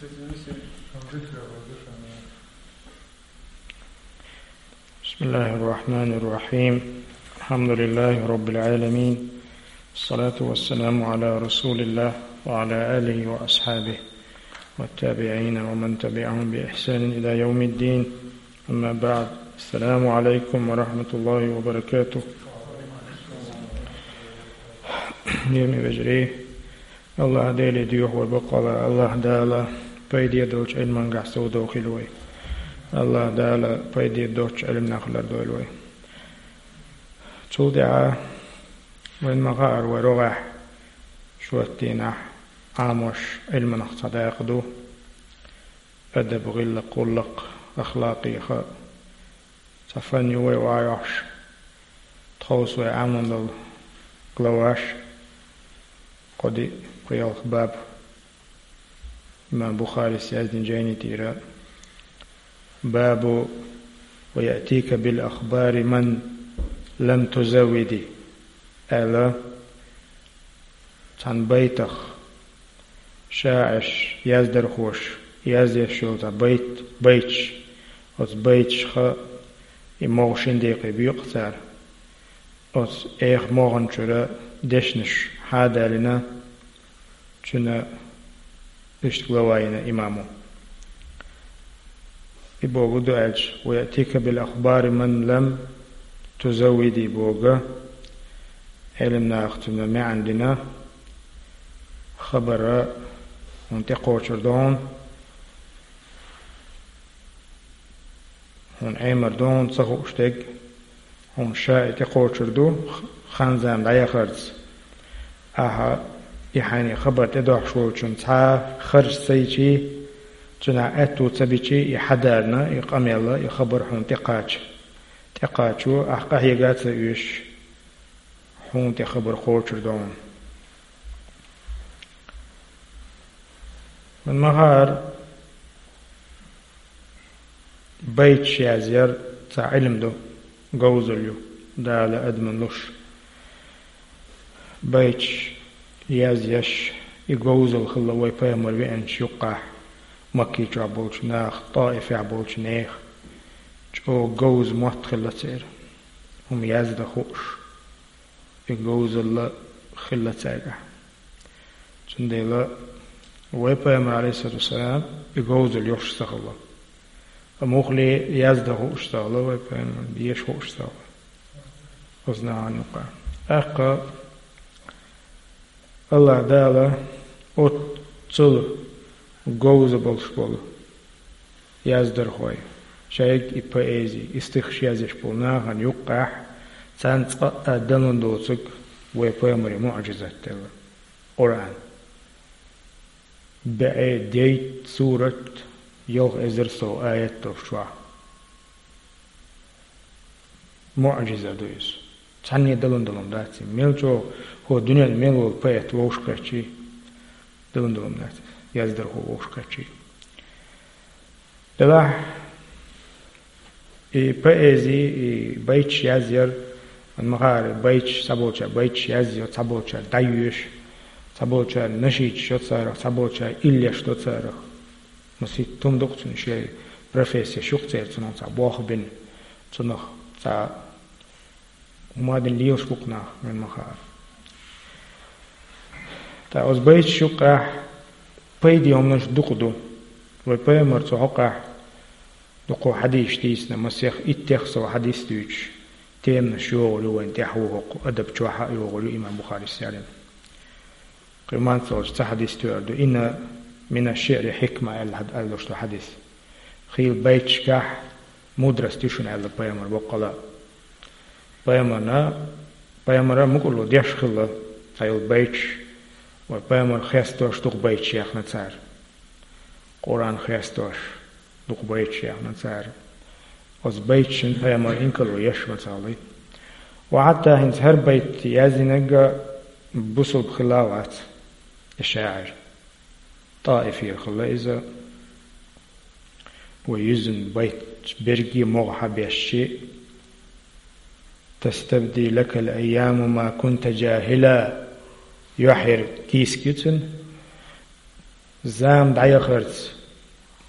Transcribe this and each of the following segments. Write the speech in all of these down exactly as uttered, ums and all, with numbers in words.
بسم الله الرحمن الرحيم. الحمد لله رب العالمين. الصلاة والسلام على رسول الله وعلى آله وأصحابه والتابعين ومن تبعهم بإحسان إلى يوم الدين. أما بعد. السلام عليكم ورحمة الله وبركاته. Динни вежарий, АллахӀ Деле доьху вай боккъала, АллахӀ Дала пайде долчу Ӏилмангахь совдохийла вай. АллахӀ Дала пайде доцчу Ӏилманах лардойла вай. Цул тӀаьхьа вайн ма хаара, вай рогӀехь шоттийнахь Ӏамош Ӏилманах цхьа дакъа ду. Адаб, гӀиллакх, гӀуллакх, ахлакъ, цхьа фан ю вай охьайохьуш. Тховса вай Ӏамадолу главаш, кхо-диъ, кхоалгӀа баб, имам Бухарис яздина жайни тӀера: «Бабу ва яътика бил ахбари ман лам тузаввиди», аьлла, цхьана байтах шаӀирш, яздархоша язъеш йолу цхьа байт, байташ, оцу байташха и могӀа шина декхе боькъу цара. Оцу эха могӀан чуьра дешнаш хьадалийна, цуьнан иштта глава йина имамо. И бохург ду аьлча, «Ва яътика бил ахбари ман лам тузаввиди» бохург, Ӏилманаха цуьнан маьӀна дина, хабар хьуна тӀекхочур ду хьуна, хьуна Ӏемар ду хьуна ца хууш дерг, хьуна ша и тӀекхочур ду, х-, хан-зама дӀаяхарца. Ахьа и хьайна хабар тӀедохьуш волчунна цхьа харж ца йичий, цуьнан аьтту ца бичий, и хьадарна, и къамел, и хабар хьуна тӀекхача. ТӀекхачо ахь къахьега а ца оьшуш, хьуна тӀе хабар кхочур ду хьуна. Вайн ма хаара, байташ язъяр цхьа Ӏилма ду, говзалла ю, Дала адамна луш. Байташ язъеш, и говзалла хилла вай пайхамар веанчу юккъехь, Макки чохь болчу наха, ТӀаифехь болчу нехан чӀогӀа говза мотт хилла церан, хӀума яздан хууш. И говзалла хилла цаьргахь. Цундела вай пайхамар, Ӏалайхиссалату вассалам, и говзалла йохуш ца хилла. Амма муххале яздан хууш ца хилла вай пайхамар, деша хууш ца хилла. Оцу нахана юкъа. ТӀаккха АллахӀ Дала оццул говза болуш болу яздархой, шайга и поэзи, и стихаш язъеш болу нахана юккъехь, царна цкъа а далун доцург вай пайхамаре муӀжизат делла, Къуръан. БӀе дейтта сурат, ялх эзар сов аят долуш чохь. МуӀжиза ду иза. Цхьанне далун долу дац иза. Мел чӀогӀа хӀокху дуьненна мел волу поэт вовшахкхетчий, далун долу дац иза, яздархо вовшахкхетчий. Делахь и поэзи, и байташ язъяр, ма хаара, байташ, цхьаболчара байташ язйо, цхьаболчара дӀайоьшу, цхьаболчара нашидаш йо царах, цхьаболчара иллеш до царах. Масийтта хӀума ду-кх цуьнан, шен профессеш ю-кх церан, цунах цхьа болх бина, цунах цхьа хӀума дина лелаш бу-кх нах, вайн ма хаара. Ткъа оцу байташ юккъехь пайде хӀуманаш дукха ду. Вай пайхамар цу хьокъехь дукха хьадисаш дийцина, масех иттех сов хьадис дуьйцуш, теманаш йогӀур ю вайна тӀехь, ву хӀокху адаб чохь а йогӀур ю, имам Бухарис яздина. Кхин мацаллаш цхьа хьадис тоьар ду: «Инна мина шиъри хьикма», аьлла, аьлла долуш ду хьадис. Хийла байташкахь мудрость ю шуна, аьлла пайхамар боккъала. Пайхамарна, пайхамара мукӀарло деш хилла цхьа йолу байташ, вай пайхамар хестош дукха байташ яьхна цара. Къуръан хестош дукха байташ яьхна цара. Оцу байташна пайхамар инкарло еш ма ца хилла. Ва хьатта хӀинца хӀара байт яздинарг а бусулба хилла а вац и шаӀир. ТӀаифера хилла иза. Ва юьззина байт берриге а могӀа хьабешши: «Тастабди лакал айяму ма кунта жахила». Юьхьера кийсак ю цуьнан. Зама дӀаяхарца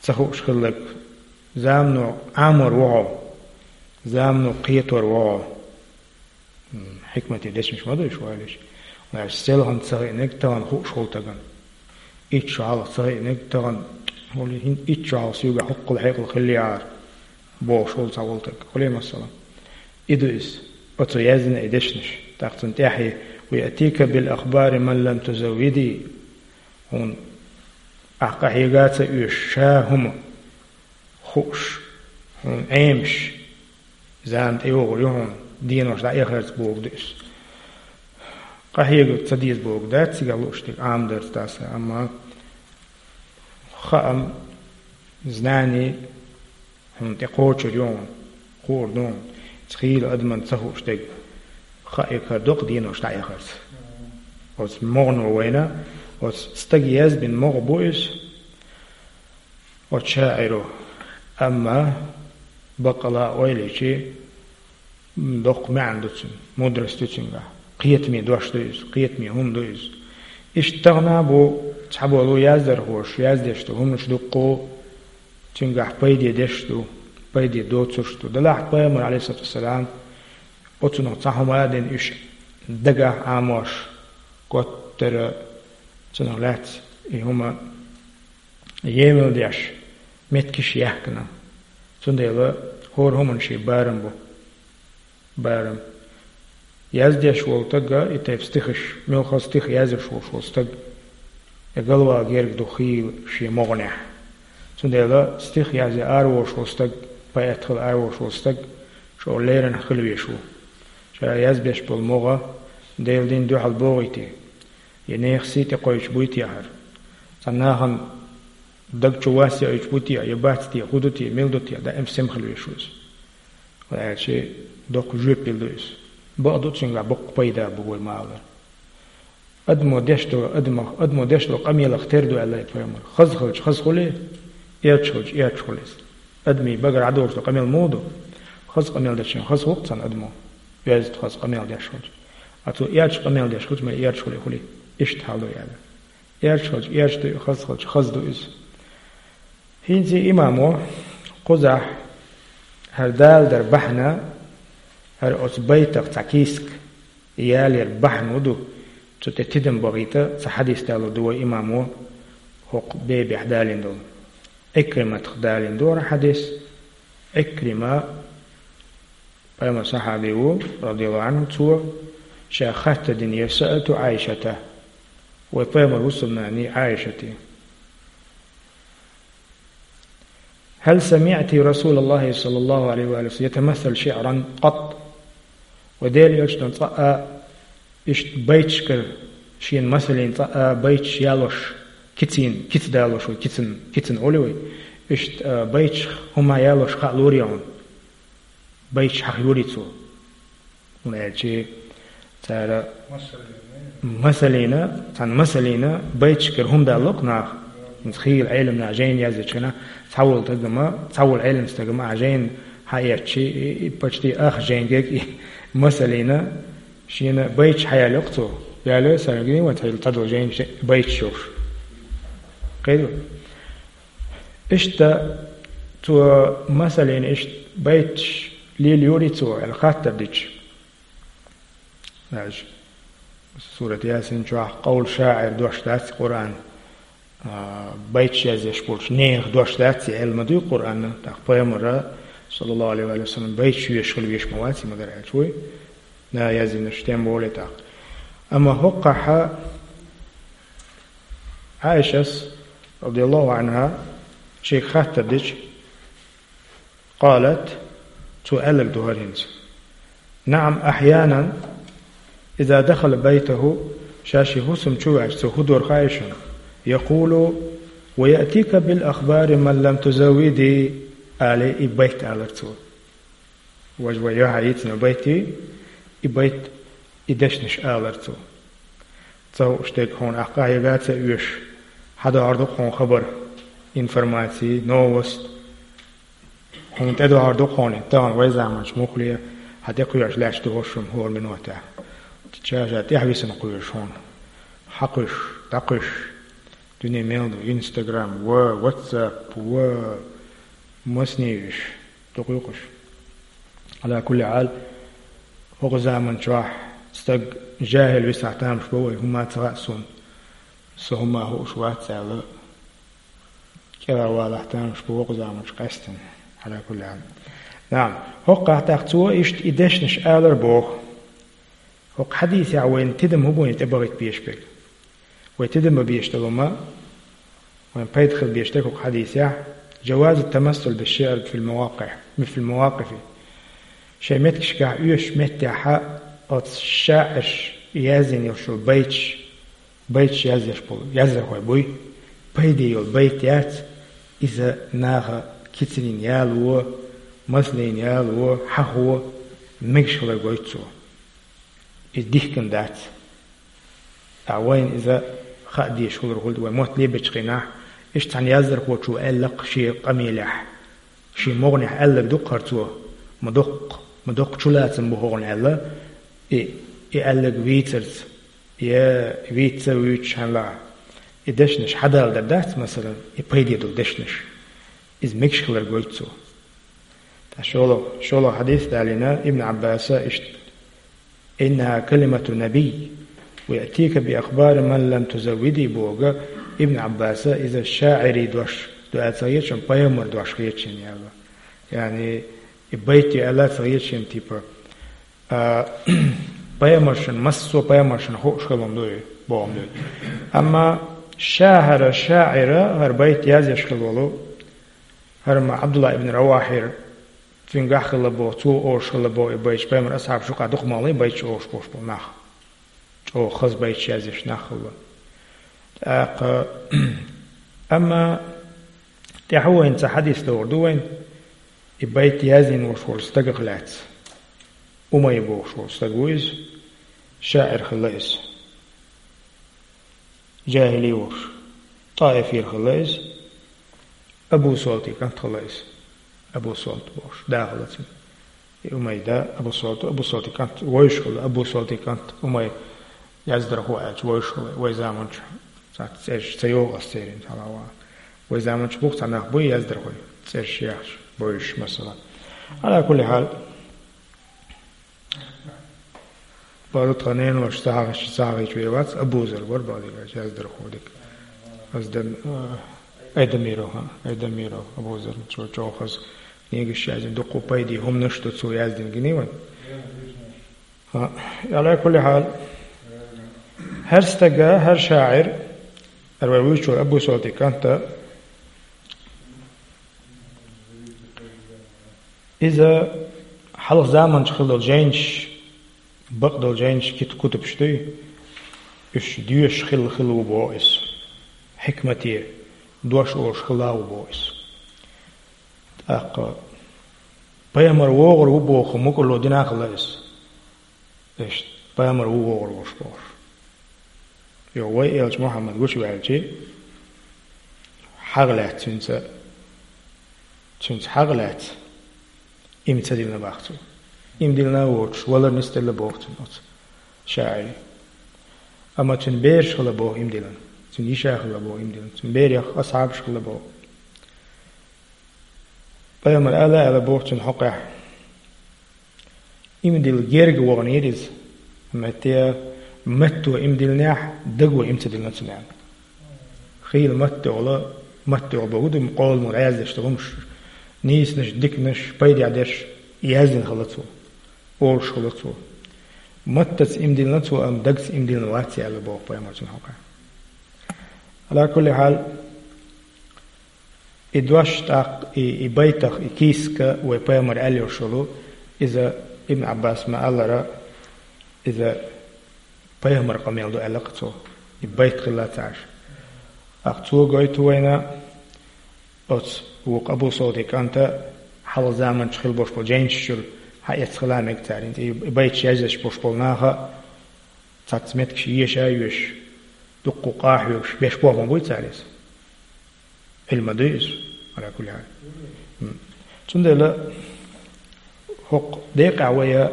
ца хууш хилларг, замано Ӏамор ву хьо, замано кхетор ву хьо. М, хьикмате дешнаш ма ду уж, валиш. Валиш селхана ца хиънарг тахана хууш волу стагана. Итт шо хьалха ца хиънарг тахана, хӀули хӀин итт шо хьалха соьгахь хӀоккхул хьекъал хиллехьара, бохуш волу цхьа волу стаг. Хьули масала. И ду иза. Оцо яздина и дешнаш. ТӀаккха цунна тӀаьхье: «ويأتيك بالأخبار من لم تزودي». Хьуна ахь къахьега а ца оьшу ша хӀума хууш, хьуна Ӏемаш, зама тӀейогӀур ю хьуна, денош дӀаэхарца бохург ду иза. Къахьега ца деза бохург дац цигахь лууш дерг, Ӏамадарца даса, амма хаам, знани хьуна тӀе кхочур ю хьуна, хуур ду хьуна, цхьа хийла адамна ца хууш дерг, хаийта хӀара доккха денош дӀаэхарца. Оцу могӀано вайна, оцу стага язбина могӀа бу иза, оцу шаӀиро. Амма баккъала а ойла йича, м, доккха маьӀна ду цуьнан, мудрость ду цуьнгахь. Кхетаме дош ду иза, кхетаме хӀума ду иза. Иштта тахана а бу цхьаболу яздархоша, яздеш долу хӀуманаш дуккха а цуьнгахь пайде деш ду, пайде доцурш ду. Делахь пайхамар, Ӏалайхиссалату вассалам, оцунах цхьа хӀума а дина, уьш дагахь Ӏамош, коттара цунах лаьцна и хӀума емал деш, меттигаш яьккхина. Цундела хӀора хӀуманан шен барам бу. Барам. Яздеш волу стага, и тайпа стихаш, муьлхха стих язъеш волуш волу стаг, я галвала герга ду хийла шен могӀанехь. Цундела стих язъян араволуш волу стаг, поэт хила араволуш волу стаг, чӀогӀа леррина хила везаш ву. Ша язбеш болу могӀа Делан дин дуьхьал богӀий те, я нехан сий тӀекхойчу буй те хӀара? Цхьана нахана даг чу вас яуьйтуш бу те, я бац те, хӀун ду те, мила ду те, даим сема хила везаш ву иза. Вай аьлча, доккха жоьпалла ду иза. Бакъ ду, цуьнгахь боккха пайда бу вай ма аллара. Адамо деш долу, адамах, адамо деш долу къамелах тера ду аьлла пайхамар. Хаза хилча хаза хуьлий, эрча хилча эрча хуьлу иза. Адамийн багара дӀадолуш долу къамел муха ду? Хаза къамел дечунна хаза хуьлу цхьана адамо, оьзда хаза къамел деш хилча. А цо эрча къамел деш хилча, ма эрча хуьлий, хуьлий. Иштта хьал ду аьлла. Эрча хилча эрча дуй, хаза хилча хаза ду иза. ХӀинца имамо кхузахь хӀара даладар бахьана, хӀара оцу байтах цхьа кийсак ялар бахьана хӀун ду, цу тӀе тидам бахийта цхьа хьадис далур ду вай имамо хӀокху бебехь далийна долу. Ӏикриматах далийна ду хӀара хьадис. Ӏикрима пайхамар сахьаби ву, радияллаху Ӏанху, цо ша хаттар динера: «سألت عائشة», вай пайхамар хӀусамнани Ӏайшати. «هل سمعت رسول الله صلى الله عليه وآله وسلم يتمثل شعرا قط؟» Вай Делан Элчано цкъа а иштта байташкара шена масаллина цкъа а байташ ялош, кицин, кица далош вай, кицин, кицин олу вай. Иштта, а, байташ хӀума ялош хаалур ю хьуна? Байташ хьахоруй цо? ХӀунда аьлча цара масаллина, цхьана масаллина байташкара хӀума далло-кх наха. ХӀинца хийла Ӏеламнаха жайна яздечу хенахь, цхьа волу стагана, цхьа волу Ӏеламстагана а жайна хьаэцча, и, и почти ах жайнга и масаллина шена байташ хьаялайо-кх цо. Ялайо, саргий вайн цхьа цхьадолу жайна ше-, байташ йолуш. Кхетий? Иштта цо масаллина иштта байташ лелайоруй цо аьлла хаттар дича. Даже сурат Ясин чохь къовла шаӀир дош дац Къуръан, а, байташ язъеш болчу нехан дош дац и аьлла ма дуй Къуръано, тӀаккха пайхамара, саллаллаху Ӏалайхи ва саллам, байташ йоьшуш хила везаш ма вац и, ма-дарра аьлча вуй. Да, яздинарш тем более тӀаккха. Амма хӀокхахь Ӏайшас, радияллаху Ӏанха, шега хаттар дича, قالت, цо аьлларг ду хӀара хӀинца: «نعم، أحيانا إذا دخل بيته», ша шен хӀусам чу ваьлча, цо хӀун дор хаьий шуна? «يقول: ويأتيك بالأخبار من لم تزودي», алий, и байт алара цо. Важа вай юьхьа йийцина байт ю, и байт, и дешнаш алара цо. Ца хууш дерг хьуна ахь къахьега а ца оьшу, хьадохьур ду-кх хьуна хабар, информаци, новость. Хьуна тӀедохьур ду-кх хьуна, тахана вай заманчу муххале хьан тӀекхоьхьуш лаьтташ ду хӀорш хӀума хӀора минотехь. Ша-ша тӀаьхьа висина кхоьруш хьуна. Хьакхуьйсуш, дӀакхуьйсуш. Дуьне мел ду, Instagram ва, WhatsApp ва, массане а уж, дукха ю-кх уж. Ӏала кулли хьал, хӀокху заман чохь стаг жаьхӀил висахь тамаш бо вай, хӀумма а ца хаьа суна, со хӀумма а хууш вац аьлла, кӀелхьарвалахь тамаш бо хӀокху заман чу къаьстина. Ӏала кулли хьал. НаӀам, хӀокхахь тӀаккха цо иштта и дешнаш алар боху. ХӀокху хьадисехь вайна тидам хӀун бу вайна тӀебахийта безаш берг? Вай тидам бан безаш долу хӀума, вайн пайда хила безаш дерг хӀокху хьадисехь, جواز التمثل بالشعر في المواقع، في المواقف. Шайн меттигашкахь оьшучу меттехь оцу шаӀирша яздина йолуш йолу байташ, байташ язъеш болу яздархой буй, пайде йолу байт яц, иза наха кицанийн яло, массанийн яло, хьахо, мегаш хилар гойту цо. Иза дихкина дац. Ткъа вайна иза хаа дезаш хилар хуьлу, вай мотт лебечу хенахь, иштта цхьана яздархочо аьлла-кх шен къамелехь, шен могӀанехь аьлларг ду-кх хӀара цо, ма доккха, ма доккха чулацам бу хӀокхуьнан аьлла, и, и аьлларг вийцарца, я вийца ца вуьйцуш хьанала, и дешнаш хьадала дар дац, масала, и пайде долу дешнаш. Иза мегаш хилар гойту цо. Ткъа шолгӀа, шолгӀа хьадис далийна Ибн Ӏаббаса иштта: «إنها كلمة نبي ويأتيك بأخبار من لم تزودي», боху Ибн Ӏаббаса, иза шаӀирийн дош ду аьлла ца хета шена, пайхамар дош хета шена аьлла. Яъни, и байт ю аьлла ца хета шена, типа, а, пайхамаршна, массо а пайхамаршна хууш хилла ду и, боху ду и. Амма ша хӀара шаӀира, хӀара байт язъеш хилла волу, хӀара ма Ӏабдулла ибн Равахьира, цуьнгахь хилла боху, цо олуш хилла боху и байташ, пайхамар асхьабаш юкъахь дукха ма хилла и байташ олуш болуш болу нах. ЧӀогӀа хаза байташ язъеш нах хилла. ТӀаккха, амма тӀаьхьа вайна цхьа хьадис догӀур ду вайна, и байт яздина волуш волу стагах лаьцна. Умай бохуш волу стаг ву иза, шаӀир хилла иза. ЖахӀили волуш, ТӀаифера хилла иза, Абу Солтан кӀант хилла иза. Абу Солт бохуш, да хилла цуьнан. И Умай да, Абу Солт, Абу Солтан кӀант вевзаш хилла, Абу Солтан кӀант Умай яздархо аьлча вевзаш хилла, вай заманчу цхьацца цӀераш ца йогӀу ас церан хьалха ван. Вай заманчу бу-кх цхьа нах буй яздархой, цӀераш яьхча, бевзаш, масала. Ӏала кулли хьал, бакъду тхан неношна ца хьахийча, ца хьахийча вер вац, Абу Зар вара бакъдерг аьлча яздархо дика. Ас дан, а, Айдамиров, хӀа, Айдамиров, Абу Зар, чӀо-, чӀогӀа хаза книгаш яздина, дуккха пайде хӀуманаш ду цо яздина, гиний вайн? ХӀа, Ӏала кулли хьал, хӀара стага, хӀара шаӀир, хӀара вай вуьйцуш волу Абу Солтан кӀанта, иза хьалха заманчу хилла долу жайнаш, бакъдолу жайнаш, кит-, кутубаш дуй, уьш доьшуш хилла, хилла ву боху иза. Хьикмате дош олуш хилла ву боху иза. ТӀаккха пайхамар вогӀур ву боху мукӀарло дина а хилла иза. Иштта, пайхамар ву вогӀур волуш бохуш. Йо, вай элча Мухьаммад гучуваьлча, хьагӀ лаьцна цуьнца, цуьнца хьагӀ лаьцна, иман ца диллина боху цо. Иман диллина а воцуш, валар нисделла боху цуьнан оцу шаӀире. Амма цуьнан бераш хилла боху иман диллина, цуьнан йиша хилла боху иман диллина, цуьнан берех асхьабаш хилла боху. Пайхамар ала а аьлла боху цуьнан хьокъехь: «Иман дилла герга ваханера иза, амма те, матто иман диллинехь, даго иман ца диллина цуьнан». Хийла матта йолу, матта йолу боху ду, къоламо дӀаяздеш долу хӀумаш, нийсанаш, диканаш, пайдехь дерш яздина хилла цо, олуш хилла цо. Маттаца иман диллина цо, амма дагца иман диллина вац аьлла боху пайхамар цуьнан хьокъехь. Ӏала кулли хьал, и дош тӀаккха, и, и байтах, и кийсак вай пайхамар аьлла йолуш йолу, иза Ибн Ӏаббас ма-аллара, иза пайхамар къамел ду аьлла-кх цо, и байт хилла ца Ӏаш. ТӀаккха цо гойту вайна, оцу вукху Абу Солтан кӀанта хьалха заманчу хилла болуш болу жайнаш чуьра хьаэцна хила мега цара, и, и байташ язъеш болуш болу наха цхьацца меттигаш еша а йоьшуш, дуккха къа а хьоьгуш, беш бохам буй цара иза. Ӏилма дуй иза, Ӏала кулли хьал. М. Цундела хӀокху декъехь вай,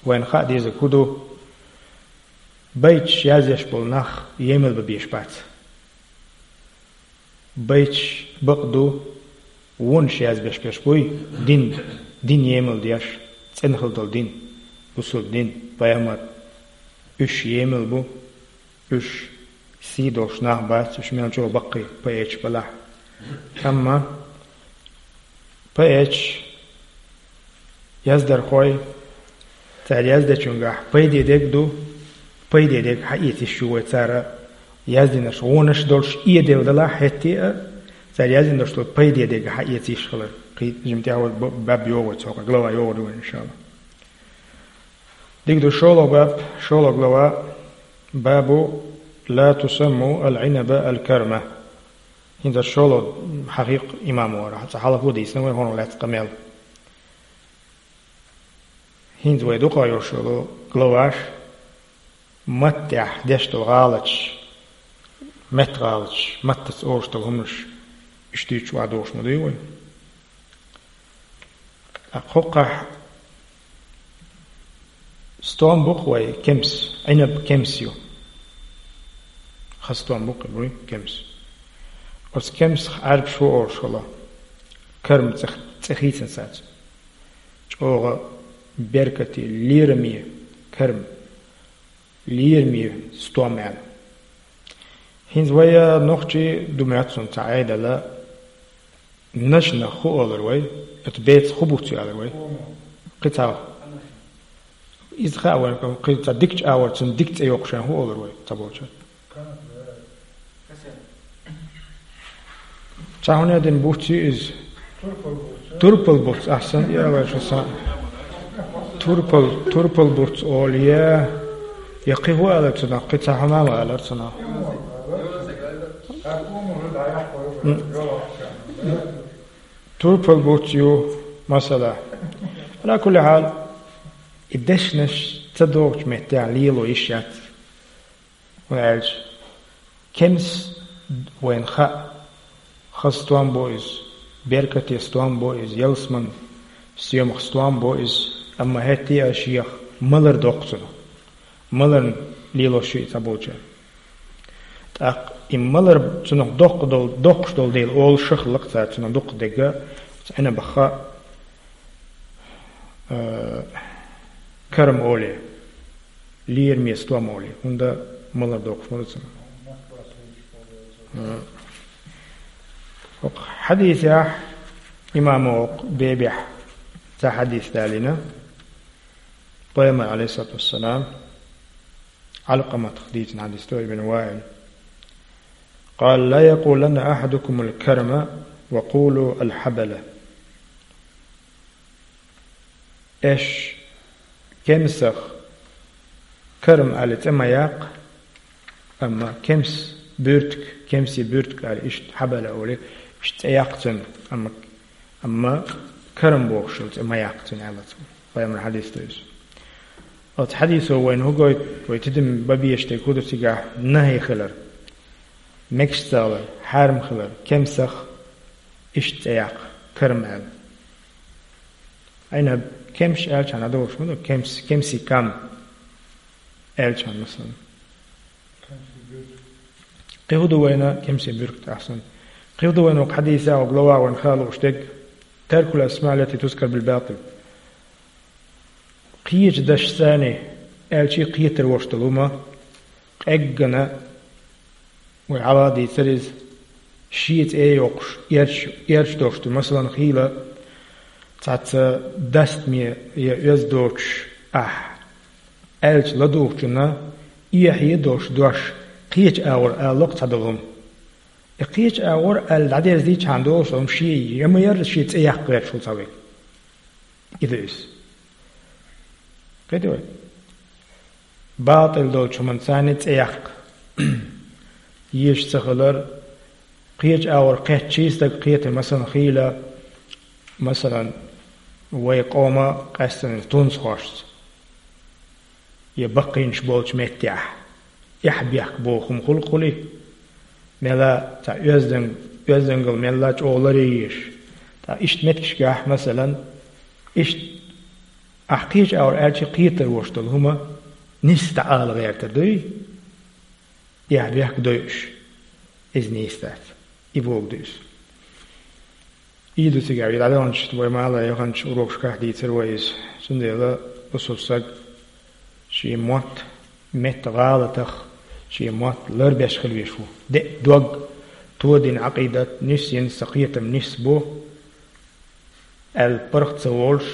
вайна хаа дезарг хӀун ду? Байташ язъеш болу нах емал бан безаш бац. Байташ бакъ ду, вонаш язбеш берш буй, дин, дин емал деш, цӀена хила дола дин, бусалба дин, пайхамар, уьш емал бу, уьш сий долуш нах бац, уьш мел чӀогӀа баккхий поэташ балахь. Амма поэташ, яздархой, цара яздечунгахь пайде дерг ду, пайде дерг хьаэца йиш ю вай цара яздинарш, вонаш долуш эдел далахь хӀетте а, цара яздина долуш долу пайде дерг хьаэца йиш хилар. Кхин жимма тӀехь вай б-, баб йогӀу вай цхьа, глава йогӀур ю вай, иншалла. Дика ду, шолгӀа баб, шолгӀа глава, бабу ла тусамму ал-Ӏинаба ал-карма. ХӀинца шолгӀа хьахийкх имамо, цкъа хьалхо дийцина вай хӀунах лаьцна къамел. ХӀинца вай дукха йолуш йолу главаш, маттехь деш долу гӀалаташ, меттан гӀалаташ, маттаца олуш долу хӀуманаш, иштта дуьйцуш охьадогӀуш ма дуй вай. Ткъа кхокхахь стом бу-кх вай, кемс, Ӏинаб кемс ю. Хаза стом бу-кх и, буй, кемс. Оцу кемсах Ӏаьрбаша хӀун олуш хилла? Карма цӀе, цӀе хийцина саца. ЧӀогӀа беркате, лераме карма, лераме стом аьлла. ХӀинца вай нохчий ду моьтту суна цхьа Ӏедал, наш-нах хӀун олур вай, оцу бецах хӀун буц ю аьлла вай? Кхин цхьа. Иза хаьа вайна, кхин цхьа дикачу агӀор цунна дика цӀе йоккхуш хӀун олур вай, цхьаболчара? Цхьа хӀун дина буц ю иза? Турпал буц, ахь санна ялар шу сан. Турпал, турпал буц олу я, я кхин хӀун аьлла цунах, кхин цхьа хӀума ма аьллара цунах. М. Турпал буц ю, масала. Ала кулли хьал, и дешнаш ца догӀучу меттехь лело йиш яц. ХӀунда аьлча кемс вайна хаьа, хаза стом бу иза, беркате стом бу иза, ялсаман стоьмах стом бу иза, амма хӀетте а шех малар доккху цунах. Маларна лелош ю и цхьаболчара. ТӀаккха и малар цунах доккха долу, доккхуш долу дела олуш хилла-кх цара цунах дукха дерг, цу Ӏинабах, э, карма олий, лераме стом олий, хӀунда малар доккхуш ма ду цунах. Э, хӀокху хьадисехь имамо хӀокху бебехь цхьа хьадис далийна. Пайхамар, Ӏалайхиссалату вассалам, Ӏалкъаматах дийцина хьадис ду, ибн Ваил. قال: لا يقولن أحدكم الكرم وقولوا الحبلة. Аша кемсах карма аьлла цӀе ма яккха, амма кемс буьртиг, кемсийн буьртиг аьлла, иштта хьабала олий, иштта цӀе яккха цунна, амма, амма карма бохуш йолу цӀе ма яккха цунна аьлла цо. Пайхамаран хьадис ду иза. Оцу хьадисо вайна хӀун гойту, вай тидам бан безаш дерг хӀун ду цигахь? НахӀий хилар, мегаш ца хилар, хьарам хилар, кемсах иштта цӀе яккха, карма аьлла. Ӏинаб кемс аьлча хьан догӀуш ма ду, кемс, кемсийн кам аьлча хьан, масалан. Кхин хӀун ду вайна кемсийн буьртиг, ахьсана? Кхин хӀун ду вайна хӀокху хьадисехь, хӀокху главахь вайна хаа лууш дерг? ترك الأسماء التي تذكر بالباطل. Кхечу дашца аьлча кхетар вош долу хӀума, къеггина, вай хьалха дийцира иза, шен цӀе а йоккхуш, эрча, эрча долуш ду. Масалан, хийла цхьацца дастаме я оьзда доцуш ахь аьлча, ладугӀучунна эхье а долуш дош кхечу агӀор ала ло-кх цхьадолу хӀума. И кхечу агӀор аьлла дӀадерзийча хьан долуш хӀума шен я ма яра шен цӀе яккха гӀерташ ву цхьа верг. И ду иза. Кхетий вай? БатӀал долчу хӀуманца цӀе яккха. Езаш ца хилар, кхечу агӀор кхетчий стаг кхетар, масалан, хийла, масалан, вай къоман къаьсттина тунсахошца я баккхийнаш болчу меттехь, эхь-бехк боху хӀума хуьлу-кх хуьлий? Мелла цхьа оьзданг-, оьздангалла мелла чӀогӀа ларъеш. Ткъа иштта меттигашкахь, масалан, иштта ахь кхечу агӀор аьлча кхетар вош долу хӀума нийса дӀаала гӀертар дуй? Эхь-бехк дойуш, иза нийса дац. И богу ду иза. И ду цигахь, и дӀадаханчу, вай мала яханчу урокашкахь дийцира вай иза. Цундела бусалба саг шен мотт, метта гӀалатах, шен мотт ларбеш хила веш ву. Де а дог, тодина Ӏакъидат, нисйина сан кхетам нис бу, аьлла паргӀат ца волуш,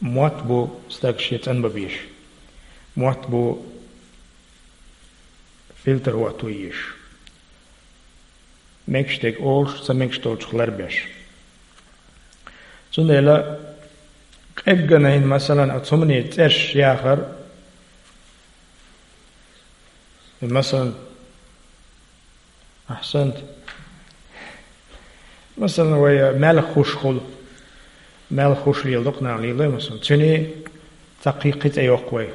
мотт бу стаг шен цӀанбан безаш. Мотт бу фильтр хӀотто езаш. Мегаш дерг олуш, ца мегаш долчух ларбеш. Цундела къеггина хӀинца, масалан, оцу хӀуманийн цӀерш яхар, масалан, ахьсант. Масалан, вай мел хуш хуьлу. Мел хуш леладо-кх нах, лелой, масалан. Цуьнан цхьа кхин-, кхин цӀе йоккху вай.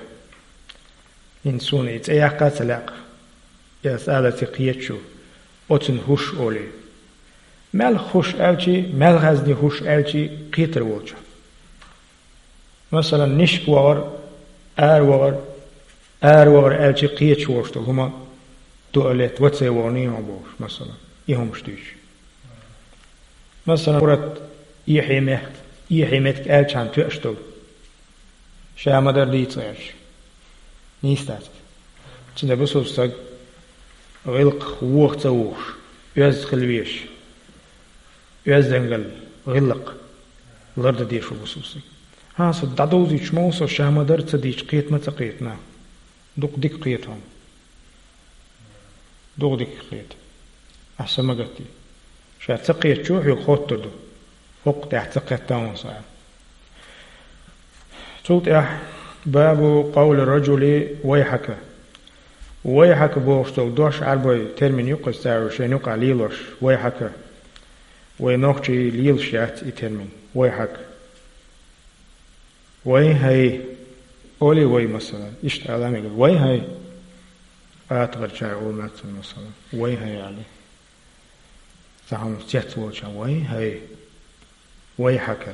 ХӀинца суна и цӀе яккха а ца лаьа. Аса ала ца кхеташ ву, оцунна хӀуш олий. Мел хуш аьлчий, мел хазний хӀуш аьлчий кхетар волчу. Масалан, нишка вахар, ара вахар, ара вахар аьлчий кхеташ волуш долу хӀума дуа летта, вацай вахана йогӀу бохуш, масалан, и хӀумаш дуьйцуш. Масалан, урат, эхье мехк-, эхье меттиг аьллачхьана тоьаш долу. Ша ма-дарра дийца гӀерташ. Нийса дац иза. Цундела бусалба стаг гӀиллакхах воха ца вухуш, оьзда хила везаш, оьздангалла, гӀиллакх лардан дезаш ву бусалба стаг. ХӀан, со дӀадовзуьйтуш ма ву со, ша ма-дарра ца дийцча, кхета ма ца кхета нах. Дукха дика кхета хьуна. Дукха дика кхета. Ахьа са ма гатде. Ша ца кхетачо хьоьга хоттур ду. ХӀокху тӀехь ца кхетта хьуна со аьлла. Цул тӀаьхьа: «Бабу къавли раджули вайхьака». «Вайхьака» бохуш долу дош, Ӏарбойн термин ю-кх иза, цара шайна юкъахь лелош, «вайхьака». Вай нохчий лелаш яц и термин, «вайхьака». «Вай хьай». Олий вай, масалан. Иштта ала мегар. «Вай хьай». АтагӀарчара олу нах цунна, масалан. «Вай хьай», олий. Цхьа хӀуманаш цецволчохь: «Вай хьай». «Вайхьака».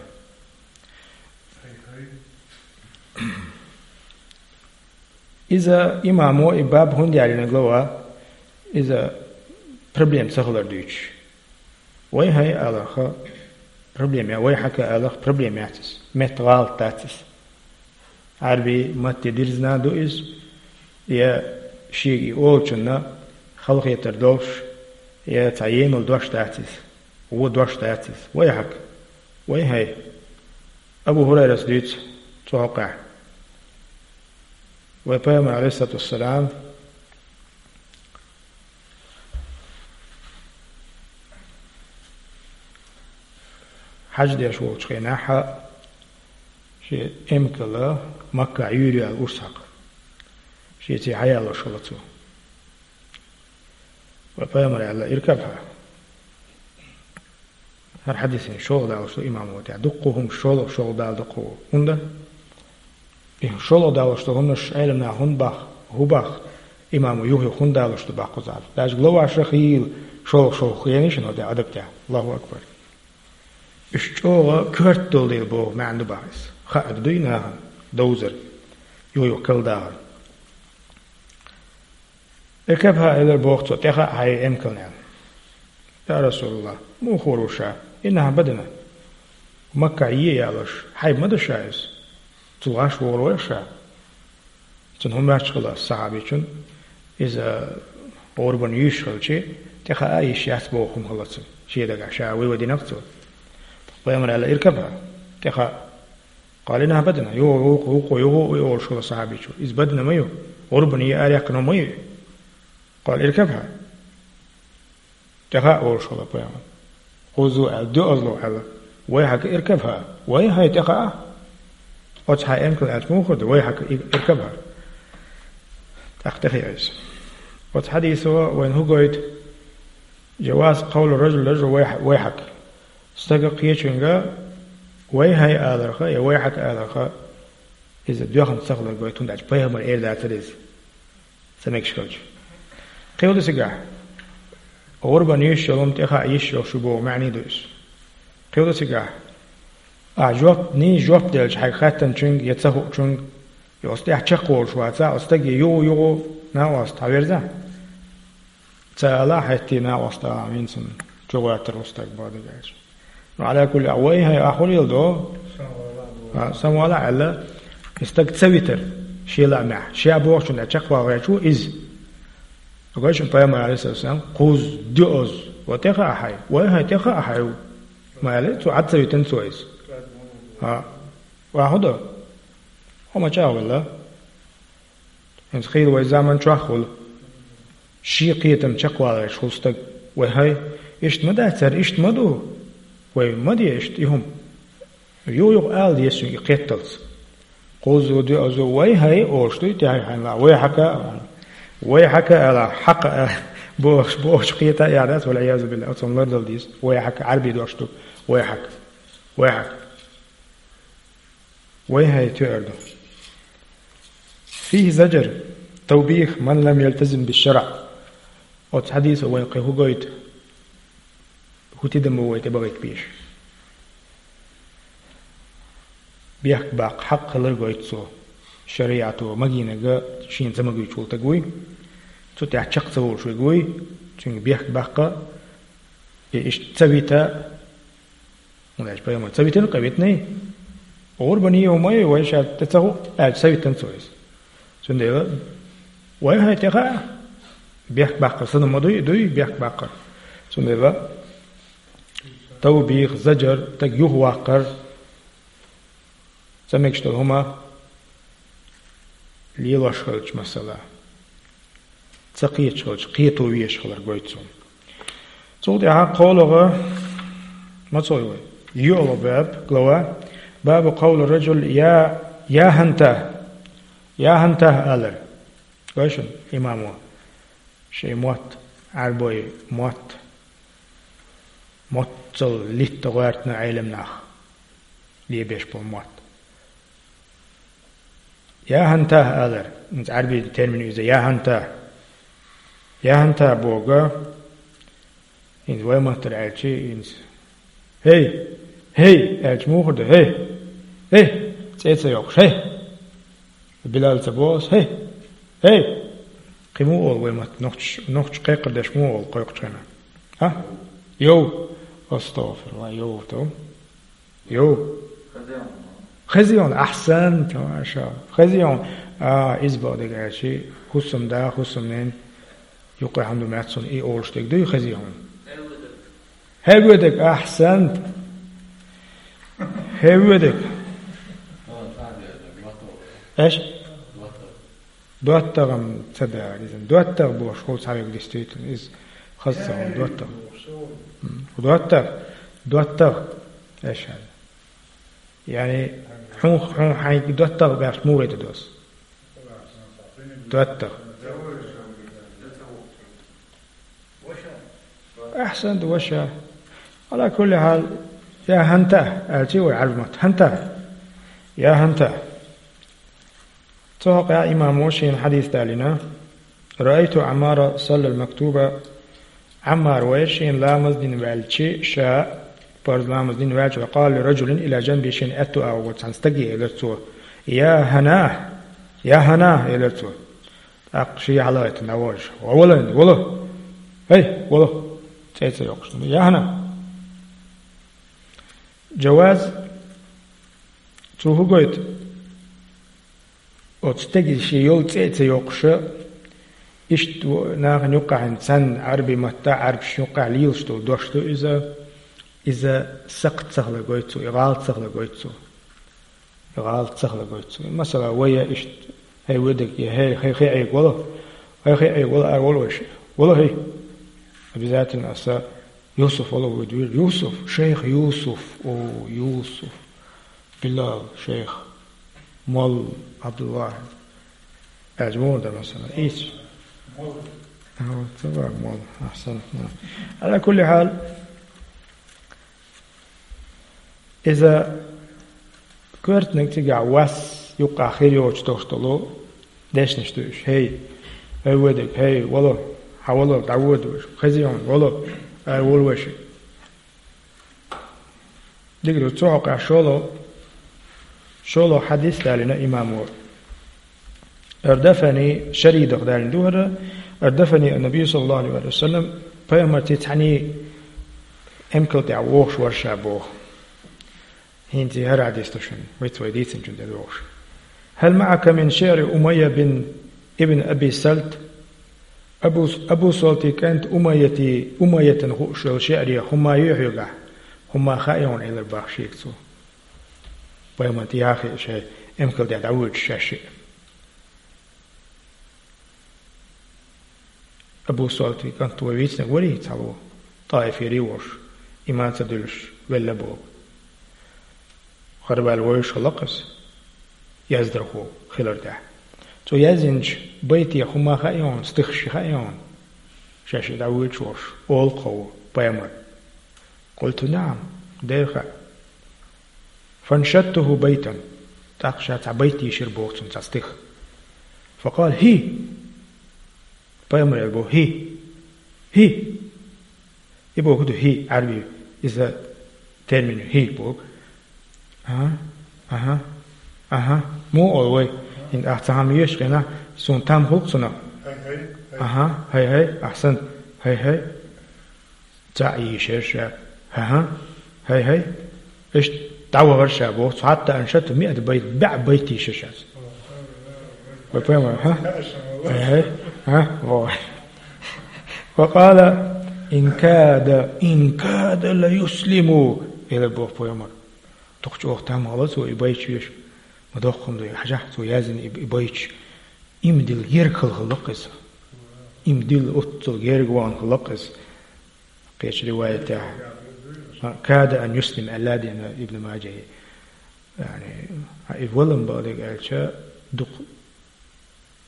Иза имамо и баб хӀунда яьллина глава, иза проблема ца хилар дуьйцуш. «Вай хьай» аларх проблема я, «вайхьака» аларх проблема яц иза. Метта гӀалат дац иза. Ӏарбийн матте дирзина ду иза, я шега и олучунна халахетар долуш, я цхьа емал дош дац иза. Вон дош дац иза. «Вайхьака». «Вай хьай». Абу ХӀурайрас дуьйцу цу хьокъехь. Вай Пайхамар, Ӏалайхиссалату вассалам, хьаьж деш волчу хенахь, шен эмкал Маккахь юьйр ю аьлла урс хьакха. Шеца хьаялош хилла цо. Вай Пайхамара аьлла: «Иркабхьа». ХӀара хьадисана шолгӀа далош ду имамо тӀехь. Дуккха хӀума шолгӀа, шолгӀа дала дуккха хӀу-, хӀунда? И шолгӀа далош ду хӀуманаш Ӏеламнаха хӀунда боху, хӀун боху, имамо юха-юха хӀунда далош ду боху кхузахь. Даже главаша хийла шолгӀа-шолгӀа хенаш ю-кх, адаб тӀехь. Аллаху акбар. Уьш чӀогӀа коьрта долу дела боху маьӀна ду боху иза. Хаа дуй нахана довзар, юха-юха калдахар. «Иркабхьа», элира боху цо, «тӀе хаьа хьайн эмкална», аьлла. «Я Расулаллах, муха вур ву ша? Иннахьа бадана. Маккахь е ялош, хьайба ма ду ша иза. Цул гӀаш вогӀур вара ша». Цунна хӀума моьттуш хилла сахьабичун, иза гӀурбан юьйш хилча, тӀе хаа йиш яц боху хӀума хилла цунна. Шен дагахь ша вывод динарг цо. Пайхамара аьлла: «Иркабхьа, тӀе хаьа». «Къала иннахьа бадана». Юха, юха, юха, юха, юха олуш хилла сахьабичо. Иза бадана ма ю. ГӀурбан е араяьккхина ма ю. «Къала иркабхьа». «ТӀе хаьа», олуш хилла пайхамар. «Кхузза аьлла, доьазло аьлла: „Вайхьака иркабхьа“. Вай хьай, тӀе хаьа». Оцу хьайн эмкал аьлча муха хир ду: «Вайхьака и-, иркабхьа»? ТӀаккха тӀехиъна иза. Оцу хьадисо вайна хӀун гойту? Джаваз къавли раджули раджула вайхь-, вайхьака. Стага кхечуьнга «вай хьай» аларха я «вайхьака» аларха, иза доьхна ца хилар гойту, хӀунда аьлча пайхамара эр дацара иза. Ца мегаш хилча. Кхин ду цигахь. ГӀурбан юьйш йолу хӀума тӀе хаа йиш йолуш ю боху маьӀна ду иза. Кхин ду цигахь. Ахьа жоп, нийса жоп делча хьайга хаьттинчуьнга я ца хуучуьнга, я оцу тӀехь чекхволуш вацахь, оцу стаге юха-юха накъост хьаверзахь. Ца ала хьаьтти накъост ала вина санна. чу гӀоьртар хӀу стаг боху дагахь. Ну, Ӏала кулли, а вай хӀай ахь хӀу леладо? А, самавала аьлла, и стаг ца витар, шен лаамехь, ша бохучунна чекхвалгӀечу иза. Гой шуна, пайхамар, алейхиссалам, кхузза, доьазза, ва тӀе хаьа хьай, вай хӀай тӀе хаьа хьай ву. Ма аьлла, цо Ӏад ца витина цо иза. А, ва хӀу до? Хьо ма чӀагӀвелла. ХӀинца хийла вай заман чохь хуьлу. Шен кхетам чекхвалгӀеш хуьлу стаг. Вай хӀай, иштта ма дац цара, иштта ма ду. Вай ма де иштта и хӀума. Юха-юха ала деза шуьга и кхетталц. Кхузза, доьазза, вай хӀай олуш дуй, тӀе хьайна ла, вай хьака а, вай хьака а ала, хьакха а, бохуш, бохучу кхета а яхьа дац, валь-Ӏиязу биллахӀ, оцунна лардала деза. Вай хьака, Ӏарбий дош ду, вай хьака, вай хьака. Вай хӀай тоьар ду. فيه زجر توبيخ من لم يلتزم بالشرع. Оцу хьадисо вайн кхин хӀу гойту? ХӀу тидам бу вай тӀе бахийта безаш? Бехк баккха хьакъ хилар гойту цо. ШариӀато магийнарг шена ца магуьйтуш волу стаг вуй. Цу тӀехь чекх ца волуш верг вуй. Цуьнга бехк баккха, и иштта ца вита, хӀунда аьлча пайхамар ца витина, къа витиний. ГӀурбан йо ма ю, вай ша тӀе ца хӀу аьлча, ца витина цо иза. Цундела вай хӀай тӀе хаьа, бехк баккхар санна ма дуй, дуй бехк баккхар. Цундела тавбих, заджар, стаг юхаваккхар, ца мегаш долу хӀума лелош хилча, масала, ца кхеташ хилча, кхето везаш хилар гойту цунна. Цул тӀаьхьа кхоалгӀа, ма ца гӀой вай, йоьалгӀа баб, глава, бабу къавли раджул я, я хӀанта, я хӀанта алар. Гой шуна, имамо, шайн мотт, Ӏарбой мотт, моццал литта гӀоьртина Ӏелам нах лебеш болу мотт. Я хӀанта алар, хӀинца Ӏарбий термин иза, я хӀанта. Я хӀанта бога, хӀинца вай маттара аьлча, хӀинца: «ХӀей! ХӀей!» аьлча, муха ду: «ХӀей! ХӀей!» ЦӀе ца йоккхуш: «ХӀей!» Билал ца боху ас: «ХӀей! ХӀей!» Кхин муха олу вай матта, нохчаш, нохчаш кхайкхар деш муха олу кхойкхучу хенахь? А? Йов! Астагфируллах, йов ту. Йо. Хезийон, ахьсант, машалла. Хезийон, а, иза бакъдерг аьлча, хӀусамда, хӀусамнен юккъе хьан ду меттасон и олуш дерг дуй хезийон? ХӀевведерг, ахьсант. ХӀевведерг. Эш? ДоттагӀам ца баьгӀа иза. ДоттагӀа бохуш хуьлу цхьаверг, действительно, иза хаза ца хуьлу, доттагӀа. М, доттагӀа, доттагӀа, аьшан. Яъни, хьун, хьун хьайн доттагӀа баьхча муха вайта дос? ДоттагӀа. Ахьсант, ваша. Ала кулли хьал, я хӀанта, аьлчи вай Ӏарбий матта. ХӀанта. Я хӀанта. Цу хьокъехь имамо шена хьадис далийна: «Раайту Ӏаммара саллал мактуба». Ӏаммар вайра шена ламаз дина ваьлча, ша парз ламаз дина ваьлча, ва къала ли раджулин ила джанби, шена аьтту агӀор волчу цхьана стаге элира цо: «Я хӀана! Я хӀана!» элира цо. ТӀаккха шен хьалаайтина дӀаволуш: «Ва вала, вала! ХӀей, вала!» ЦӀе ца йоккхуш: «Я хӀана!» Джаваз, цо хӀу гойту? Оцу стеган шен йолу цӀе а ца йоккхуша, иштта во-, нахана юккъехь цхьаьна Ӏарбий матта, Ӏарбашна юккъехь лелаш долу дош ду иза, иза сакхт ца хила гойту цо, и гӀалат ца хила гойту цо. И гӀалат ца хила гойту цо. Масала, вай я иштта: «ХӀей, вуьдург», я: «ХӀей, хӀей, хӀей, Ӏега вала, хӀей, хӀей, Ӏега вала, ара вала вайша, вала, хӀей». Обязательно аса Юсуф вала вуьду вира. Юсуф, шайх Юсуф, о, Юсуф. Билал, шайх, молла Абдуллах. Аьлча муха дар, масала? Ис. А, вот, ца вар молла. Ахьсан. Ала кулли хьал, иза коьртаниг цигахь вас юккъахь хир йоцуш долуш долу дешнаш ду уьш. ХӀей, хӀей, вуьдург, хӀей, вала, хьан вала, дӀавода вайша. Хезийон, вала, ара вала вайша. Дика ду, цу хьокъехь шолгӀа, шолгӀа хьадис далийна имамо. Ардафани, шаридах далийна ду хӀара, ардафани ан-Набий саллаллаху алейхи ва саллям, пайхамарца цхьаьний Эмкал тӀехь вогӀуш вара ша боху. ХӀинца и хӀара хьадис ду шуна, виц вай дийцинчун тӀе догӀуш. «هل معك من شعر أمية بن ابن أبي سلت؟ Абу, Абу Салтий кӀант Умайяти, Умайятан хууш йолу шиъре хӀумма ю хьоьгахь? ХӀумма хаьа хьуна», — элира боху шега цо. Пайхамар тӀехь а хиъна шайн эмкал тӀехь дӀавоьдуш шаьш шиъ. Абу Салтий кӀант вай вийцинарг варий цхьалла, ТӀаифера волуш, иман ца дуьллуш велла боху. Харваьлла вевзаш хилла-кх иза, яздархо хилар тӀехь. Цо яздинчу байте хӀумма хаьа хьуна, стихаш хаьа хьуна, шаьш и дӀавоьдуш волуш, олу-кх хӀокхо, пайхамар. قلت: نعم, дера хаьа. فأنشدته بيتا. ТӀаккха ша цхьа байт йийшира боху цунна, цхьа стих. فقال: هي. Пайхамар аьлла боху: هي. هي. И боху ду хӀи, Ӏаьрби, иза термин ю хӀи боху. Аха, аха, аха. Муха олу вай? ХӀинца ахь цхьа хӀума еш хенахь, суна там хуьлу-кх цунах. Аха, хӀай-хӀай, ахьсант, хӀай-хӀай. Цхьаъ йийшира ша. ХӀан-хӀа, хӀай-хӀай. Иштта дӀавахара ша боху, цхьа хьатта аншату миата байт, бӀе байт йийшира ша. Вай пайхамар, хӀа? ХӀай-хӀай, хӀа? Вай. Ва къала: «Ин када, ин када ла юслиму», — элира боху пайхамар. Дукха чӀогӀа там хилла цо и байташ веш. Ма доккха хӀума ду, хьажахь, цо яздина и, и байташ. Иман дилла герга хилла хилла-кх иза. Иман дилла оццул герга вахана хилла-кх иза. Кхечу риваятехь, «када ан юслим» аьлла а деана Ибн Маджахье. Яъни, и валам бакъдерг аьлча, дукха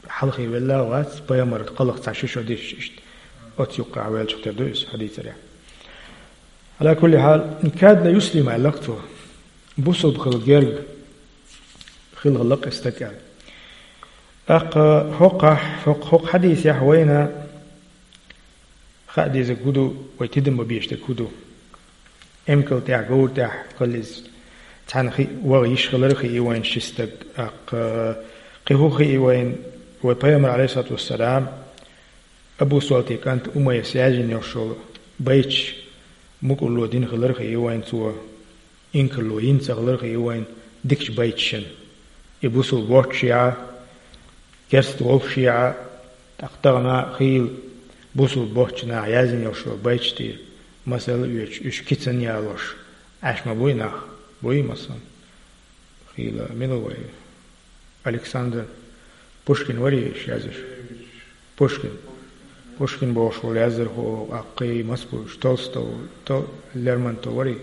хьалхе велла а вац, пайхамар кхалха цхьа ши шо дисча иштта. Оцу юккъехь веллачух тера ду иза хьадийцарехь. Ала кулли хьал, «када ла юслим» аьлла-кх цо. Бусулба хила герга хила хилла-кх и стаг аьлла. ТӀаккха хӀокхахь, хӀокху, хӀокху хьадисехь вайна хаа дезарг хӀун ду, вай тидам бан безаш дерг хӀун ду? Эмкал тӀехь, говра тӀехь хилла иза цхьаьна хи-, ваха йиш хилар а хии вайна ши стаг, тӀаккха кхин хӀун хии вайна, вай пайхамар, Ӏалайхиссалату вассалам, Абу Салтий кӀант Умайяс яздина йолуш йолу байташ мукӀарло дина хилар а хии вайна цо. Инкарло йина ца хилар хии вайна дикачу байташна. И бусулба воццушехь а, керста воллушехь а, тӀаккха тахана а хийла бусулба боцчу наха яздина йолуш йолу байташ тӀера масал а оьцуш, уьш кицанна ялош, Ӏаш ма буй нах, буй массо а. Хийла мила ву вай? Александр Пушкин варий уьш яздеш? Пушкин. Пушкин бохуш волу яздархо, аккхий, мас бу уьш, Толстов, То-, Лермонтов варий?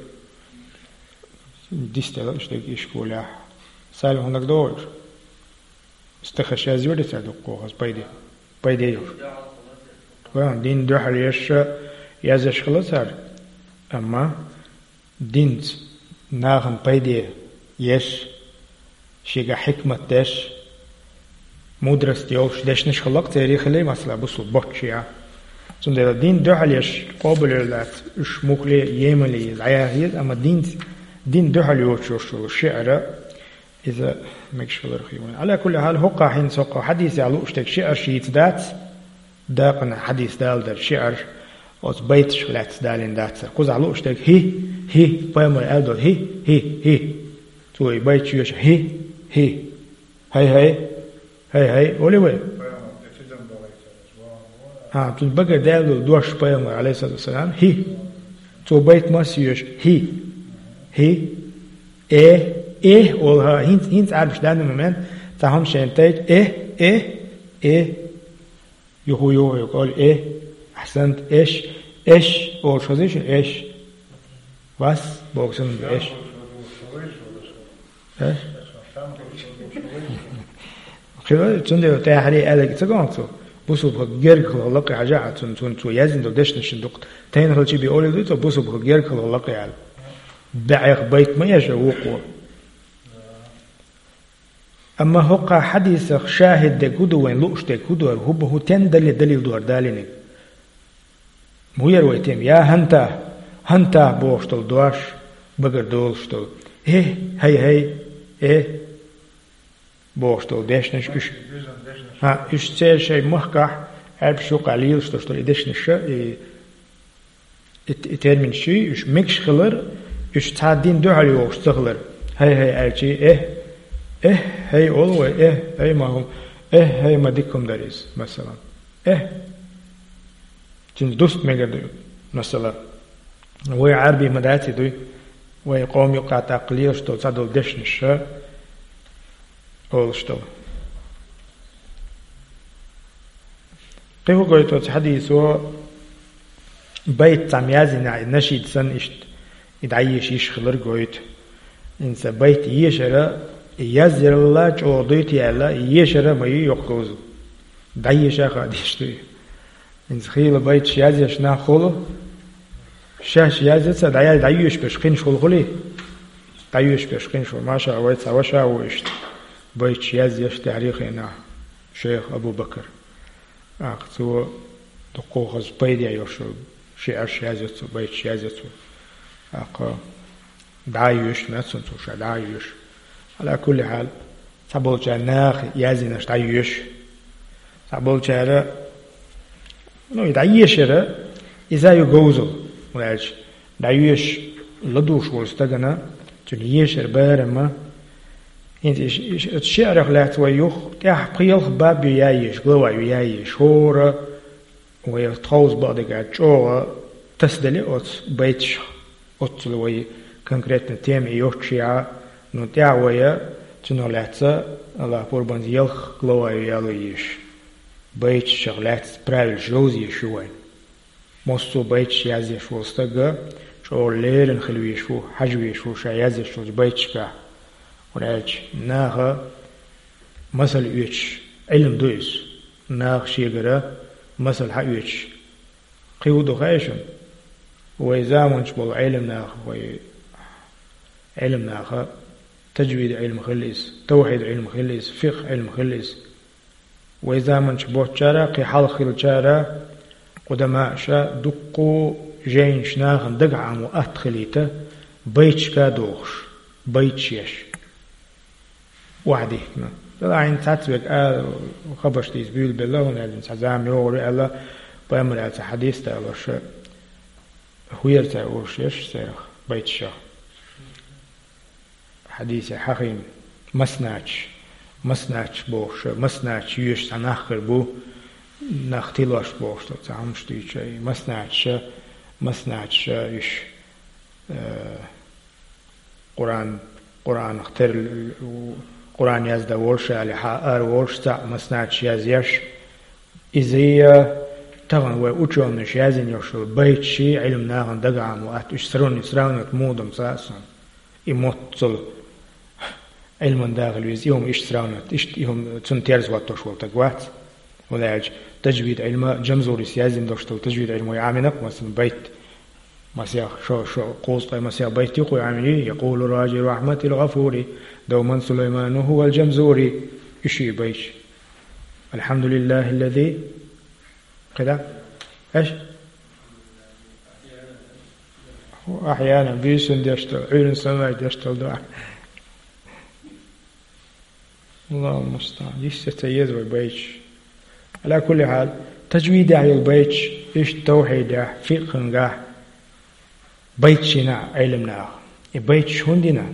Дистелла уьш дерг и школехь. Салим, хӀунда догӀу уьш? Стихаш язйора цара дуккха хаза пайде. Пайде йолуш. Вайн дин дуьхьал еш а яздеш хилла цара. Амма динца нахана пайде еш, шегахь хьикмат деш, мудрость йолуш дешнаш хилла-кх церан хилла, масала, бусулба боццушехь а. Цундела дин дуьхьал еш къобалъеш дац, уьш муххале а, емале а дӀаяха еза, амма динца, дин дуьхьал йоцуш йолу шиъра иза мегаш хилар хии вайна. Ала кулли хьал, хӀокхахь хӀинца хӀокху хьадисехь лууш дерг шиъра шица дац, дакъана хьадис даладар шиъра, оцу байташка лаьцна далийна дацара. Кхузахь лууш дерг хӀи, хӀи, пайхамар аьлла долу хӀи, хӀи, хӀи. Цо и байт шоьша хӀи, хӀи, хӀай-хӀай, хӀай-хӀай, олий вай? А, цуьнан багара даьлла долу дош пайхамар, Ӏалайхиссалату вассалам, хӀи. Цо байт массо а йоьшу хӀи, хӀи, э, э, олу хӀа, хӀинца, хӀинца Ӏарбаш данный момент, цхьа хӀума шайна тайча, э, э, э. Юху-юху йо кӀол э, ахьсант, эш, эш, олуш хазийша, эш. Вас, боксун эш. Эш? Хила, цундела тӀаьхьаре аьлларг ца гома цо. Бусулба герга хила лакхе хьажа а цунна, цунна цо яздина долу дешнашна дукха. Тайна хила чи би олий дуй цо, бусулба герга хила лакхе аьлла. БӀех байт ма эша вукхо. Амма хӀокху хьадисах шахид дерг хӀун ду вайн лууш дерг хӀун ду, хӀара хӀун бу, хӀун тен дали-, далил ду хӀара далийниг? ХӀун яра вай тема? Я хӀанта, хӀанта бохуш долу дош, багара долуш долу. Э, хӀай-хӀай, э, бохуш долу дешнаш уьш. ХӀа, уьш церан шайн махкахь, Ӏаьрбаш юккъехь лелаш долуш долу и дешнаш, и И, и терминаш, уьш мегаш хилар, уьш цхьа дин дуьхьал йогӀуш ца хилар. «Хьай-хьай» аьлча, «Эхь, эхь, хьай олу вай, эхь, хьай ма хӀума, эхь, хьай ма дика хӀума дара иза», масала. «Эхь». Цуьнца дуста мегар ду, масала. Вай Ӏарбий ма дац и дуй, вай къоман юкъахь тӀаккха лелаш долу цхьа долу дешнаш, ша олуш долу. Кхин хӀун гойту оцу хьадисо, байт цхьамма яздинехь, и нашид санна иштта, и дӀаеша йиш хилар гойту. ХӀинца байт ешара, и язъяралла чӀогӀа дуй те аьлла, и ешара ма ю йоккха говзал. ДӀаеша хаа дезаш дуй. ХӀинца хийла байташ язъеш нах хуьлу, шаьш язъяц а, дӀаял-, дӀайоьшуш берш кхинаш хуьлу хуьлий? ДӀайоьшуш берш кхинаш хуьлу. Маша, вай цхьа ваша ву иштта байташ язъеш тӀаьхьарий хенахь, шайх Абу-Бакр. ТӀаккха цо дуккха хаза пайде йолуш йолу шиӀарш язъяц цо, байташ язъяц цо. ТӀаккха дӀа а йоьшу, моьтту суна цо ша дӀа а йоьшу. Ӏала кулли хьал, цхьаболчара наха яздинарш дӀайоьшу. Цхьаболчара, ну, и дӀаешара, иза ю говзал, хӀунда аьлча дӀайоьшуш ладугӀуш волу стагана, цуьнан ешар барамма. ХӀинца иш, иш, оцу шиӀарах лаьцна вай юха тӀаьхьа пхи-ялх баб ю яеша, глава ю яеша. ХӀора вай тховса бакъдерг аьлча чӀогӀа тасаделира оцу байташах. Оццул вай конкретно тема и йоццушехь, ну, тӀаьхьа вай цунах лаьцна, Аллах пурбанца, ялх глава ю яло езаш. Байташах лаьцна правилаш йовза езаш ю вайн. Массо а байташ язъеш волу стаг чӀогӀа леррина хила везаш ву, хьажа везаш ву ша язъеш волчу байташкахь. ХӀунда аьлча наха масал оьцуш Ӏилма ду иза. Наха шегара масал хьаоьцуш. Кхин хӀун ду хаьий шуна? Вай заманчу болу Ӏилманаха, вай Ӏилманаха, таджвид Ӏилма хилла иза, тавхьид Ӏилма хилла иза, фикъхӀ Ӏилма хилла иза. Вай заманчу боцчара, кхин хьалха хиллачара, къудамаша дуккха а жайнаш нахана дагахь Ӏамо атта хилийта, байташка а дохуш, байташ еш. Охьадихкина. Делахь хӀинца цхьацца верг а хабарш дийца буьйлабелла, хӀунда аьлча цхьа зама йогӀур ю аьлла, пайхамара аьлла цхьа хьадис далош, хӀуьйра цара уьш еш церах байташах. Хьадисехь хьахийна, маснача, маснача бохуш, маснача йоьшуш цхьа нах хир бу, нах тилош бохуш, цхьа хӀумаш дуьйцуш, и маснача, маснача уьш, э, Къуръан, Къуръанах тера, Къуръан яздан волуш а, али хьан ара волуш цхьаъ маснача язъеш, иза а тахана вай учёныша яздина йолуш йолу байташ Ӏилма нахана дагахь Ӏамо атта, уьш сравни-, сравнивать муха ду-м ца а суна. И моттазза Ӏилман да хила веза, и хӀума иштта сравнивать, иштта и хӀума цунна терза хӀоттош волу стаг вац. ХӀунда аьлча таджвид Ӏилма Джамзурис яздина долуш долу таджвид Ӏилма вай Ӏамийна-кх, масала, байт. Масех, шо, шо, кхузткъе масех байт ю-кх вай Ӏамийна, «Якъулу раджи рахьматил гъафури, давман Сулайману хӀувал Джамзури». Уьш ю и байташ. «Алхьамдулиллахиллази», кхидӀа? Эш? «Ахьяна», буьйсанна деш долу, Ӏуьйранна санна деш долу дуьхьа. Аллахул мустаӀан. Йиш ца ца еза вай байташ. Ӏала кулли хьал, таджвидехь йолу байташ, иштта тавхьидехь, фикъхӀангахь байташ йина Ӏилманаха. И байташ хӀунда йина?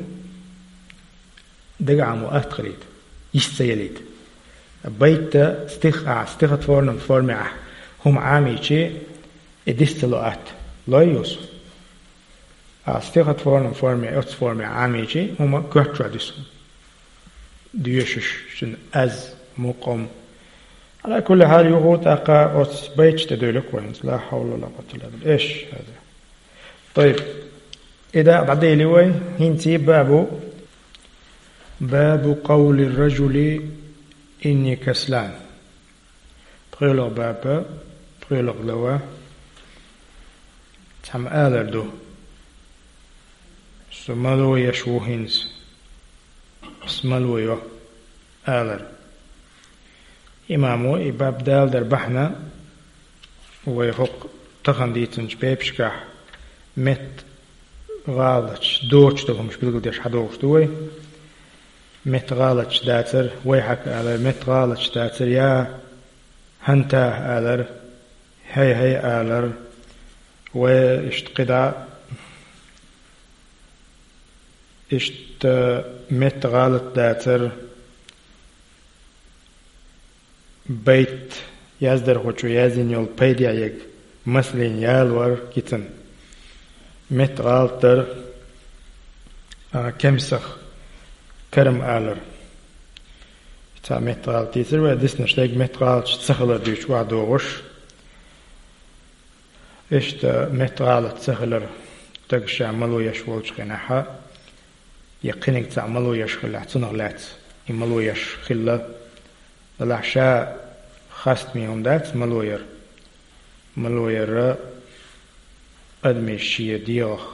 Дагахь Ӏамо атта хилийта, йиш ца ялийта. Байт стих а, стихотворном форме ахь хӀума Ӏамийчи, и дис ца ло атта. Лой, Юсуп? А стихотворном форме, оццу форме Ӏамийчи, хӀума коьртачохь дису. Доьшуш, шуна аз, мукъам. Ӏала кулли хьал, юха тӀаккха оцу байташ тӀе дуьйлу-кх вай хӀинца. Ла хьавла ва ла къуввата илла билла. Эш, хӀаза. Тайиб. И дакъа дӀадели вай, хӀинца бабу, бабу къавли раджули инни каслан. ПхоьлагӀа баба, пхоьлагӀа глава. Цхьамма алар ду: «Со мало еш ву хӀинца. Со мало йо», — алар. Имамо и баб даладар бахьана вай хӀокху тахана дийцинчу бепашкахь метта гӀалаташ доцуш долу хӀумаш билгалдеш хьадогӀуш ду вай. Метта гӀалаташ дацар, вайхьака алар, метта гӀалаташ дацар, я хӀанта алар, хьай-хьай алар, Вай иштта кхидӀа, иштта метта гӀалат дацар, байт яздархочо язйина йолу пайдехь ерг масална ялор кицан. Метта гӀалат дар, а, кемсах карам алар. Цхьа метта гӀалат дийцира вай, диснарш дерг метта гӀалаташ ца хилар дуьйцуш охьадогӀуш. Иштта метта гӀалат ца хилар, стага ша мало еш волчу хенахь, я кхиниг цхьаъ мало еш хилахь, цунах лаьцна и мало еш хилла. Делахь ша хастаме хӀума дац мало яр. Мало яр адамаша шен дегӀах,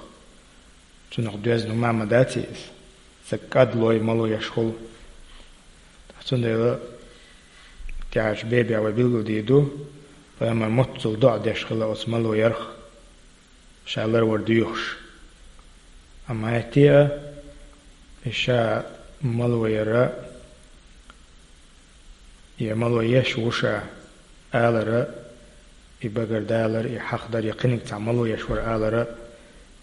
цунах доьзна хӀума ма дац иза. Стаг кӀадлой мало еш хуьлу. Цундела тӀаьхьарчу бабехь вай билгалдийр ду, пайхамар моццул доӀа деш хилла оцу мало ярх, ша ларвар доьхуш. Амма хӀетте а, и ша мало яр, я мало еш ву ша алар, и багардалар, и хьахдар, я кхиниг цхьаъ мало еш вара алар,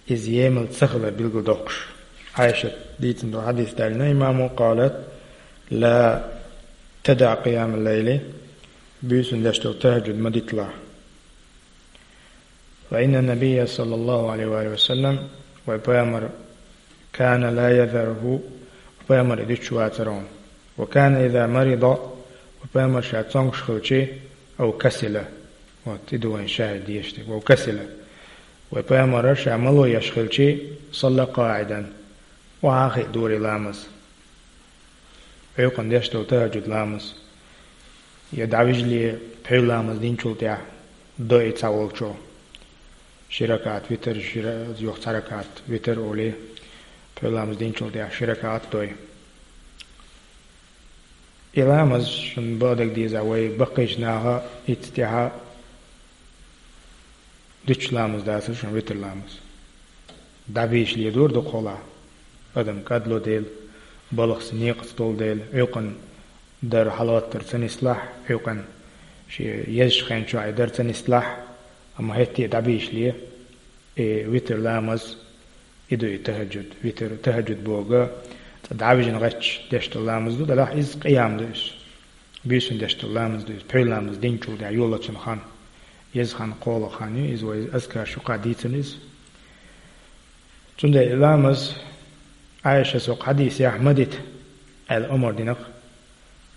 иза емал ца хилар билгалдоккхуш. Ӏайшат дийцина долу хьадис далийна имамо, къалат: «Ла тадаӀ къиямал-лайли», буьйсанна деш долу тахӀажжуд ма диталахь. «Фа инна набийя саллаллаху Ӏалайхи ва саллам», вай пайхамар, «кана ла язаруху», вай пайхамар и дуьтуш вацара хьуна. «Ва кана иза марида», вай пайхамар ша цомгуш хилчи, «ав касила». Вот, и ду вайн шахӀид дешнарг, «ав касила». Вай пайхамар ша мало еш хилчи, «салла къаӀидан», охьа хиъна дора ламаз. Ӏуьйкъана деш долу тахӀажжуд ламаз, я дӀавижале пхьуьйра ламаз динчул тӀаьхьа дой цхьаволчо. Ши ракаӀат витр, ши ра-, юха цхьа ракаӀат витр олий, пхьуьйра ламаз динчул тӀаьхьа ши ракаӀат дой. И ламаз шуна бакъдерг деза вай баккхийчу наха, ицца тӀаьхьа дуьтуш ламаз дацара шуна витр ламаз. ДӀабийшале дора дукхахьолахь. Адам кӀадло дела, балхаца некъаца долу дела, Ӏуьйкъана дар хьалгӀаттар ца нислахь, Ӏуьйкъана шен езачу хен чохь и дар ца нислахь, амма хӀетте а дӀабийшале, и витр ламаз, и ду и тахӀажжуд, витр, тахӀажжуд бохург, цкъа дӀавижина гӀерташ деш долу ламаз ду, делахь иза къиям ду иза. Буьйсанна деш долу ламаз ду иза, пхьуьйра ламаз динчул тӀаьхьа йоллучун хан. Иза хан кхоалгӀа хан ю, иза вай азкарш юкъахь дийцина иза. Цундела и ламаз, Ӏайшас хӀокху хьадисехь ма дита аьлла омра дина-кх,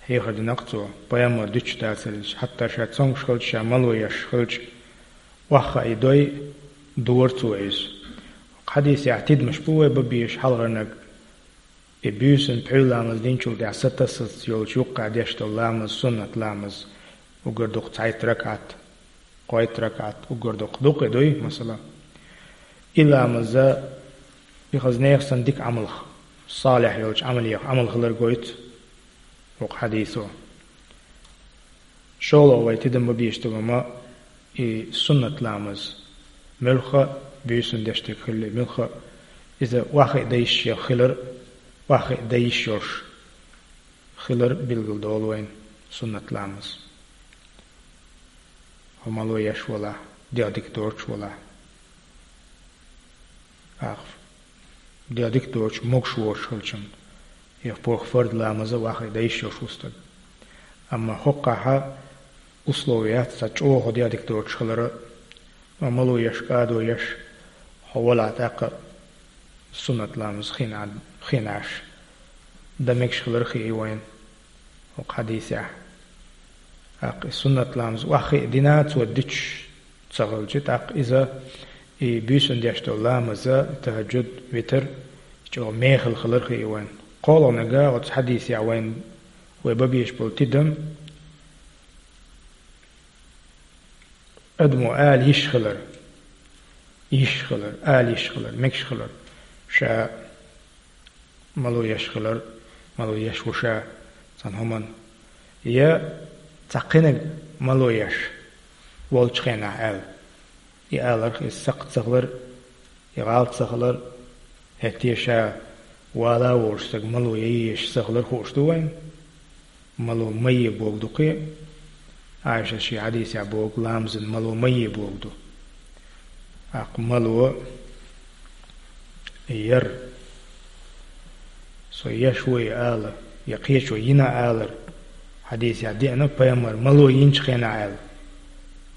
хьехар дина-кх цо, пайхамар дуьтуш дацара иза, хьатта ша цомгуш хилча, ша мало еш хилча, охьахаа и дой, дора цо иза. Хьадисехь тидамаш бу вай бан безаш хьалхарниг. И буьйсанна пхьуьйра ламаз динчул тӀаьхьа сатассалц йолчу юккъехь деш долу ламаз, суннат ламаз, уггар дукха цхьайтта ракаӀат, кхойтта ракаӀат, уггар дукха, дукха и дуй, масала. И ламаз, и хаза нехан санна дика Ӏамалх, салихь йолчу Ӏамалех Ӏамал хилар гойту хӀокху хьадисо. ШолгӀа вай тидам бан безаш долу хӀума, и суннат ламаз муьлхха а, буьйсанна деш дерг хилла муьлхха а, иза охьахиъна дан йиш йолуш хилар, охьахиъна дан йиш йолуш хилар билгалдолу вайна суннат ламаз. Хьо мало еш валахь, дегӀ дика доцуш валахь. Ахь дегӀ дика доцуш, могуш воцуш хилчун, я похӀма фард ламаза охьахиъна дан йиш йолуш ву стаг. Амма хӀокхахь условие яц цхьа чӀогӀа дегӀ дика доцуш хилар, амма мало еш, кӀадо еш, хьо валахь тӀаккха суннат ламаз хин Ӏа-, хин Ӏаш дан мегаш хилар хии вайна. ХӀокху хьадисехь. ТӀаккха и суннат ламаз охьахиъна дина цо дуьтуш ца хилча, тӀаккха иза и буьйсанна деш долу ламаза, тахӀажжуд, витр, чӀогӀа мехала хилар хии вайна. КхоалгӀаниг оцу хьадисехь вайна, вай бан безаш болу тидам, адамо ала йиш хилар, йиш хилар, ала йиш хилар, мегаш хилар, ша мало еш хилар, мало еш ву ша цхьана хӀуманна. Я цхьа кхиниг мало еш волчу хенахь аьлла. И аларх иза сакхт ца хилар, и гӀалат ца хилар, хӀетте ша вала а волуш стаг мало яйеш ца хилар хууш ду вайна. Мало ма е бохург ду кхин. Ӏайшас шен хьадисехь бохург ламазан мало ма е бохург ду. ТӀаккха мало яр, со еш ву ала, я кхечо йина алар. Хьадисехь деана пайхамар мало йинчу хенахь аьлла.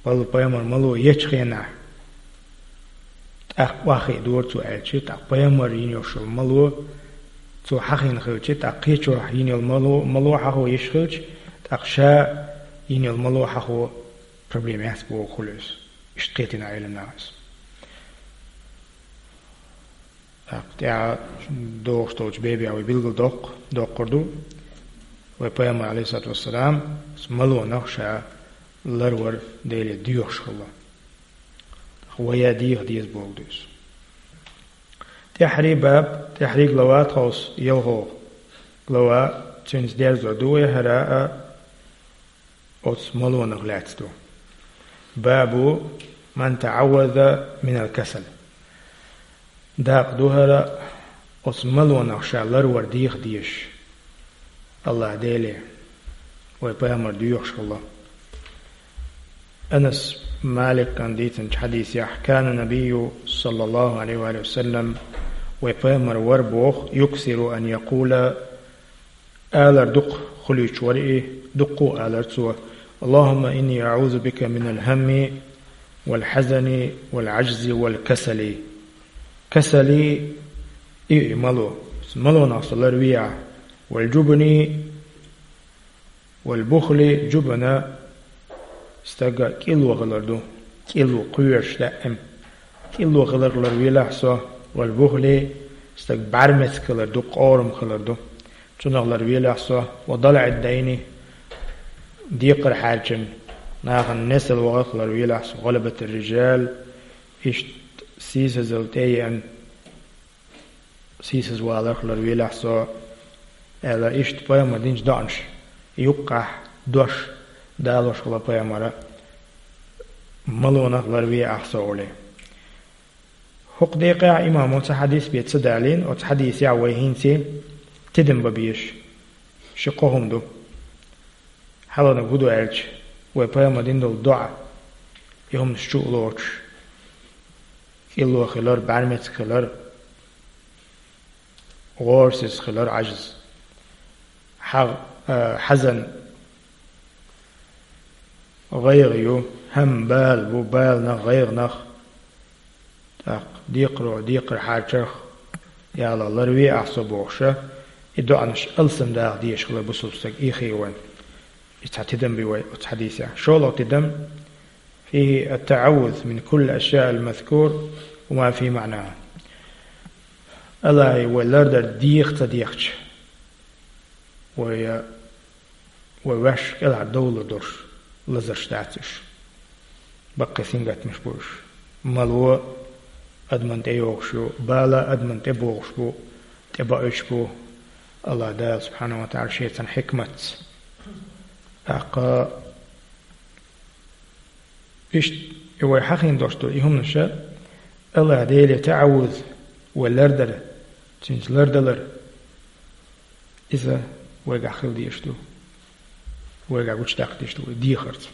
Валла пайхамар мало ечу хенахь, тӀаккха охьахиъна дора цо аьлча, тӀаккха пайхамар йина йолуш йолу мало, цо хьахийна хилча, тӀаккха кхечо йина йолу мало, мало хьахо йиш хилча, тӀаккха ша йина йолу мало хьахо проблема яц боху хуьлу иза. Иштта кхетийна Ӏеламнаха иза. ТӀаккха тӀаьхьа догӀуш долчу бебехь вай билгал доккху, доккхур ду. Вай пайхамар, алейхиссалату вассалам, малонах ша ларвар Деле доьхуш хилла. Вай а деха деза боху ду иза. ТӀаьххьарий баб, тӀаьххьарий глава тховса, ялхо глава, цуьнца дерзор ду вай хӀара а, оцу малонах лаьцна ду. Бабу ман таӀавваза минал касал. Дакъа ду хӀара, оцу малонах ша ларвар деха дезаш. Аллах Деле, вай пайхамар доьхуш хилла. Анас Маликан дийцинчу хьадисехь, кана набийю, саллаллаху алейхи ва саллам, вай пайхамар вара боху, юксиру ан якула, алар дукха хуьлуьйтуш вара и, дуккха а алар цо: «Аллахумма инни аӀузу бика минал хамми, вал хьазани, вал Ӏажзи, вал касали». Касали и, и мало, малонах со ларве ахь, вал жубни, вал бухли, жубна стага кӀилло хилар ду, кӀилло кхоьруш даим. КӀилло хиларх ларвелахь со, вал бухли, стаг бӀаьрмециг хилар ду, къорам хилар ду. Цунах ларвелахь со, ва далаӀид дайни, декхар хьарчина, нахана несал вахарх ларвелахь со, гӀалабатир рижал, иштта сийсазалла тӀееана, сийсазваларх ларвелахь со, аьлла, иштта пайхамар динчу доӀанаш юккъехь дош далош хилла пайхамара, малонах ларве ахь со олий. ХӀокху декъехь имамо цхьа хьадис бен ца далийна, оцу хьадисехь вай хӀинца тидам бан безаш ши-кхо хӀума ду. Хьалхарниг хӀун ду аьлча, вай пайхамар дина долу доӀа, и хӀуманаш чу а лоцуш, кӀилло хилар, бӀаьрмециг хилар, гӀорасиз хилар, Ӏажз. Хьа-, а, хьазан гӀайгӀа ю, хӀам бала бу, баланах, гӀайгӀанах, тӀаккха декхаро, декхар хьарчарх, ялла ларве ахь со бохуша, и доӀанаш алсамдаха дезаш хилла бусалба стаг, и хи вайн. И цхьа тидам бу вай оцу хьадисехь. ШолгӀа тидам: фихи ат-таӀаввуз мин кулли ашяъил мазкур ва ма фи маънаха. Аллахье вай лардар деха ца дехча, вай, вай ваьш кӀелхьара довлар долуш лазарш дац уьш. Баккхий сингаттамаш бу уьш. Мало адаман тӀе йогӀуш ю, бала адаман тӀе богӀуш бу, тӀе бауьйтуш бу Аллах Дала субхьанаху ва таӀала шен цхьана хьикматца. ТӀаккха иштта и вай хьахийна долуш долу и хӀуманаш, Аллах Деле таӀаввуз, вай лардар, цуьнца лардалар, иза вайгахь хила дезаш ду, вайгахь гучудаккха дезаш ду вай дехарца.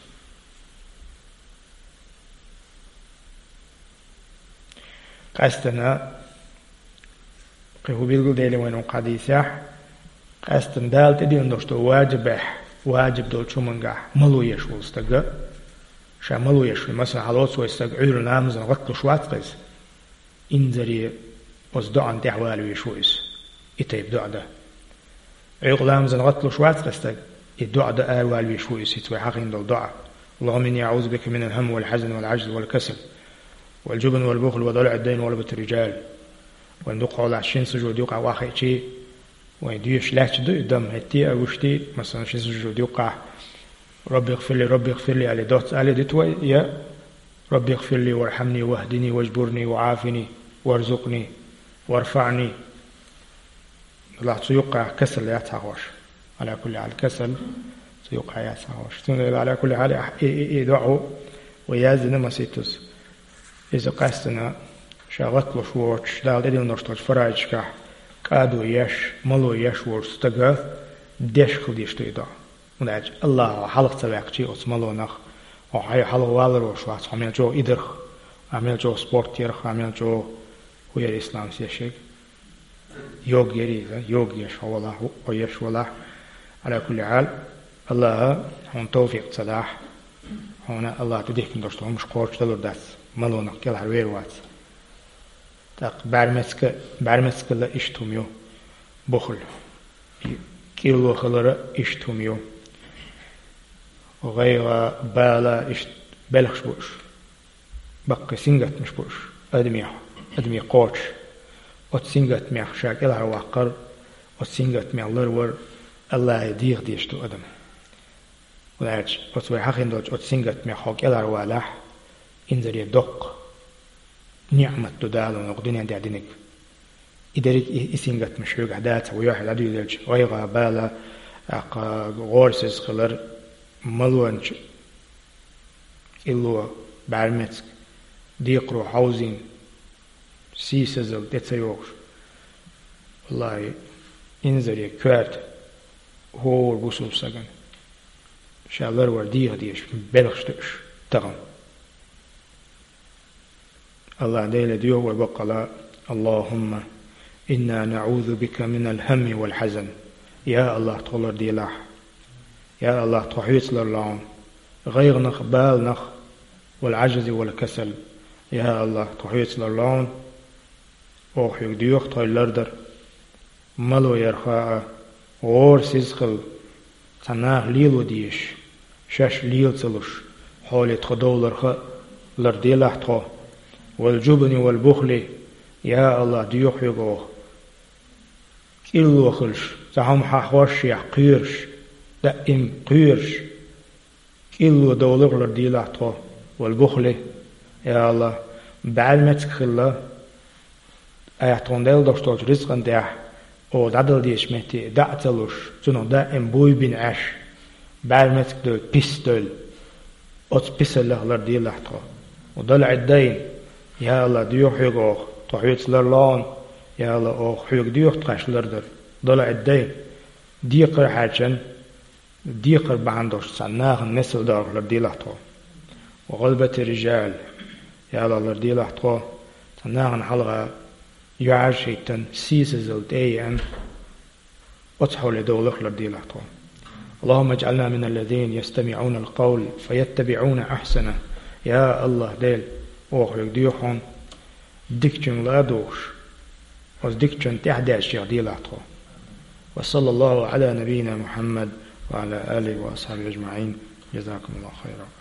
Къаьстина, кхин хӀун билгалдели вайна хьадисехь, къаьстина Дала тӀедиллина долуш долу ваджибехь, ваджиб долчу хӀумангахь мало еш волу стага, ша мало еш ву, масала, хьалоцу вай стаг Ӏуьйра ламазан гӀатталуш вац-кх иза. Инзаре оцу доӀан тӀехь валавеш ву иза, и тайпа доӀа дан. Ӏуьйкъа ламазан гӀатталуш вац-кх стаг, и доӀа дан аравалавеш ву иза, хӀинца вай хьахийна долу доӀа. Аллахумма инни аӀузу бика минал хам вал хьазан вал Ӏажз вал касал, вал жубн вал бухл ва далаӀид дайн ва гӀалабатир рижал. Вайн дукха хьолахь шина сужуд юкъахь охьахиъчий, вайн доьшуш лаьтташ ду и дам, хӀетте а вуьшти, масалан, шина сужуд юкъахь, Рабби гӀфирли, Рабби гӀфирли, али доцца али диту вай, я Рабби гӀфирли вархьамни вахдини важбурни ваӀафини варзукъни варфаӀни. Делахь цу юккъехь касал яц хьахош. Ала кулли хьал, касал цу юккъехь яц хьахош. Цундела ала кулли хьал, и, и, и доӀа вай яздина маситтаза. Иза къаьстина ша гӀатталуш воцуш, Дала тӀедиллинарш долчу фараидашкахь кӀадо еш, мало еш волчу стага деш хила дезаш ду и доӀа. ХӀунда аьлча Аллахо хьалха ца ваьккхичий оцу малонах, хьо хьайн хьалха валар волуш вац, хьо мел чӀогӀа идарх, Амел чӀогӀа спорт ярах, амел чӀогӀа хӀу яр ислам сешег. Йог яр иза, йог еш хьо валахь, хӀу еш валахь. Ала кулли хьал, Аллаха хьуна тавфикъ ца дахь, хьуна Аллаха тӀадихкина долуш долу хӀумаш кхочушдалур дац, малонах кӀелхьарвер вац. ТӀаккха бӀаьрмецка-, бӀаьрмецкала иштта хӀума ю, бухл. КӀилло хилара иштта хӀума ю. ГӀайгӀа, бала иштта белхаш бу уьш. Баккхий сингаттамаш бу уьш адамех, адаме кхочуш. Оцу сингаттамех ша кӀелхьарваккхар, оцу сингаттамех ларвар Аллахе деха дезаш ду адам. ХӀунда аьлча оцу вай хьахийна долчу оцу сингаттамех хьо кӀелхьарвалахь, инзаре доккха ниӀмат ду Дала хьуна кху дуьнен тӀехь динарг. И дерриг и, и сингаттамаш хьоьгахь дацахь, вай юьхь дӀадуьйлалча, гӀайгӀа, бала, тӀаккха гӀорасиз хилар, малонча кӀилло, бӀаьрмецка, декхаро хьовзийна, сийсазалла тӀе ца йогӀуш. Валлахи, инзаре коьрта хӀора бусулба сагана ша ларвар деха дезаш белхаш ду уьш тахана. Аллах Деле доьху вай баккъала: «Аллахумма, инна наӀузу бика минал хӀамми вал хьазан». Я Аллах, тхо ларделахь. Я Аллах, тхо хьоьца ларло хьуна гӀайгӀанах, баланах, вал Ӏажзи вал касал. Я Аллах, тхо хьоьца ларло хьуна, оха хьоьга доьху тхо лардар. Мало ярха а, гӀорасиз хила, цхьа наха лело дезаш, шаьш лела ца луш, хьоле тхо довларх а ларделахь тхо. Вал жубни вал бухли, я Аллах, доьху хьоьга оха кӀилло хилаш, цхьа хӀума хьахош а кхоьруш, даим кхоьруш, кӀилло довларх ларделахь тхо, вал бухли, я Аллах, бӀаьрмецка хила, айхьа тхуна делла долуш долчу рицкъан тӀехь, оха дӀадала дезачу метте дӀа а ца луш, цунах даим буй бина Ӏаш, бӀаьрмецка девлла, пис девлла, оцу писаллех ларделахь тхо. Ва далаӀид дайн, я Аллах, доьху хьоьга оха, тхо хьоьца ларло хьуна, я Аллах, оха хьоьга доьху тхаьш лардар. ДалаӀид дайн, декхар хьаьрчина, декхар бахьана долуш цхьана нахана несал даларх ларделахь тхо. Ва гӀалбати рижал, я Аллах, ларделахь тхо, цхьана нахана хьалха юьхьӀаьржа хӀиттина, сийсазалла тӀе а еана, оцу хьоле довларх ларделахь тхо. اللهم اجعلنا من الذين يستمعون القول فيتبعون أحسنه. Я Аллах Дела, оха хьоьга доьху хьуна, дикачуьнга ладугӀуш, оцу дикачунна тӀаьхьадаьржачех делахь тхо. وصلى الله على نبينا محمد وعلى آله وأصحابه أجمعين. جزاكم الله خيرا.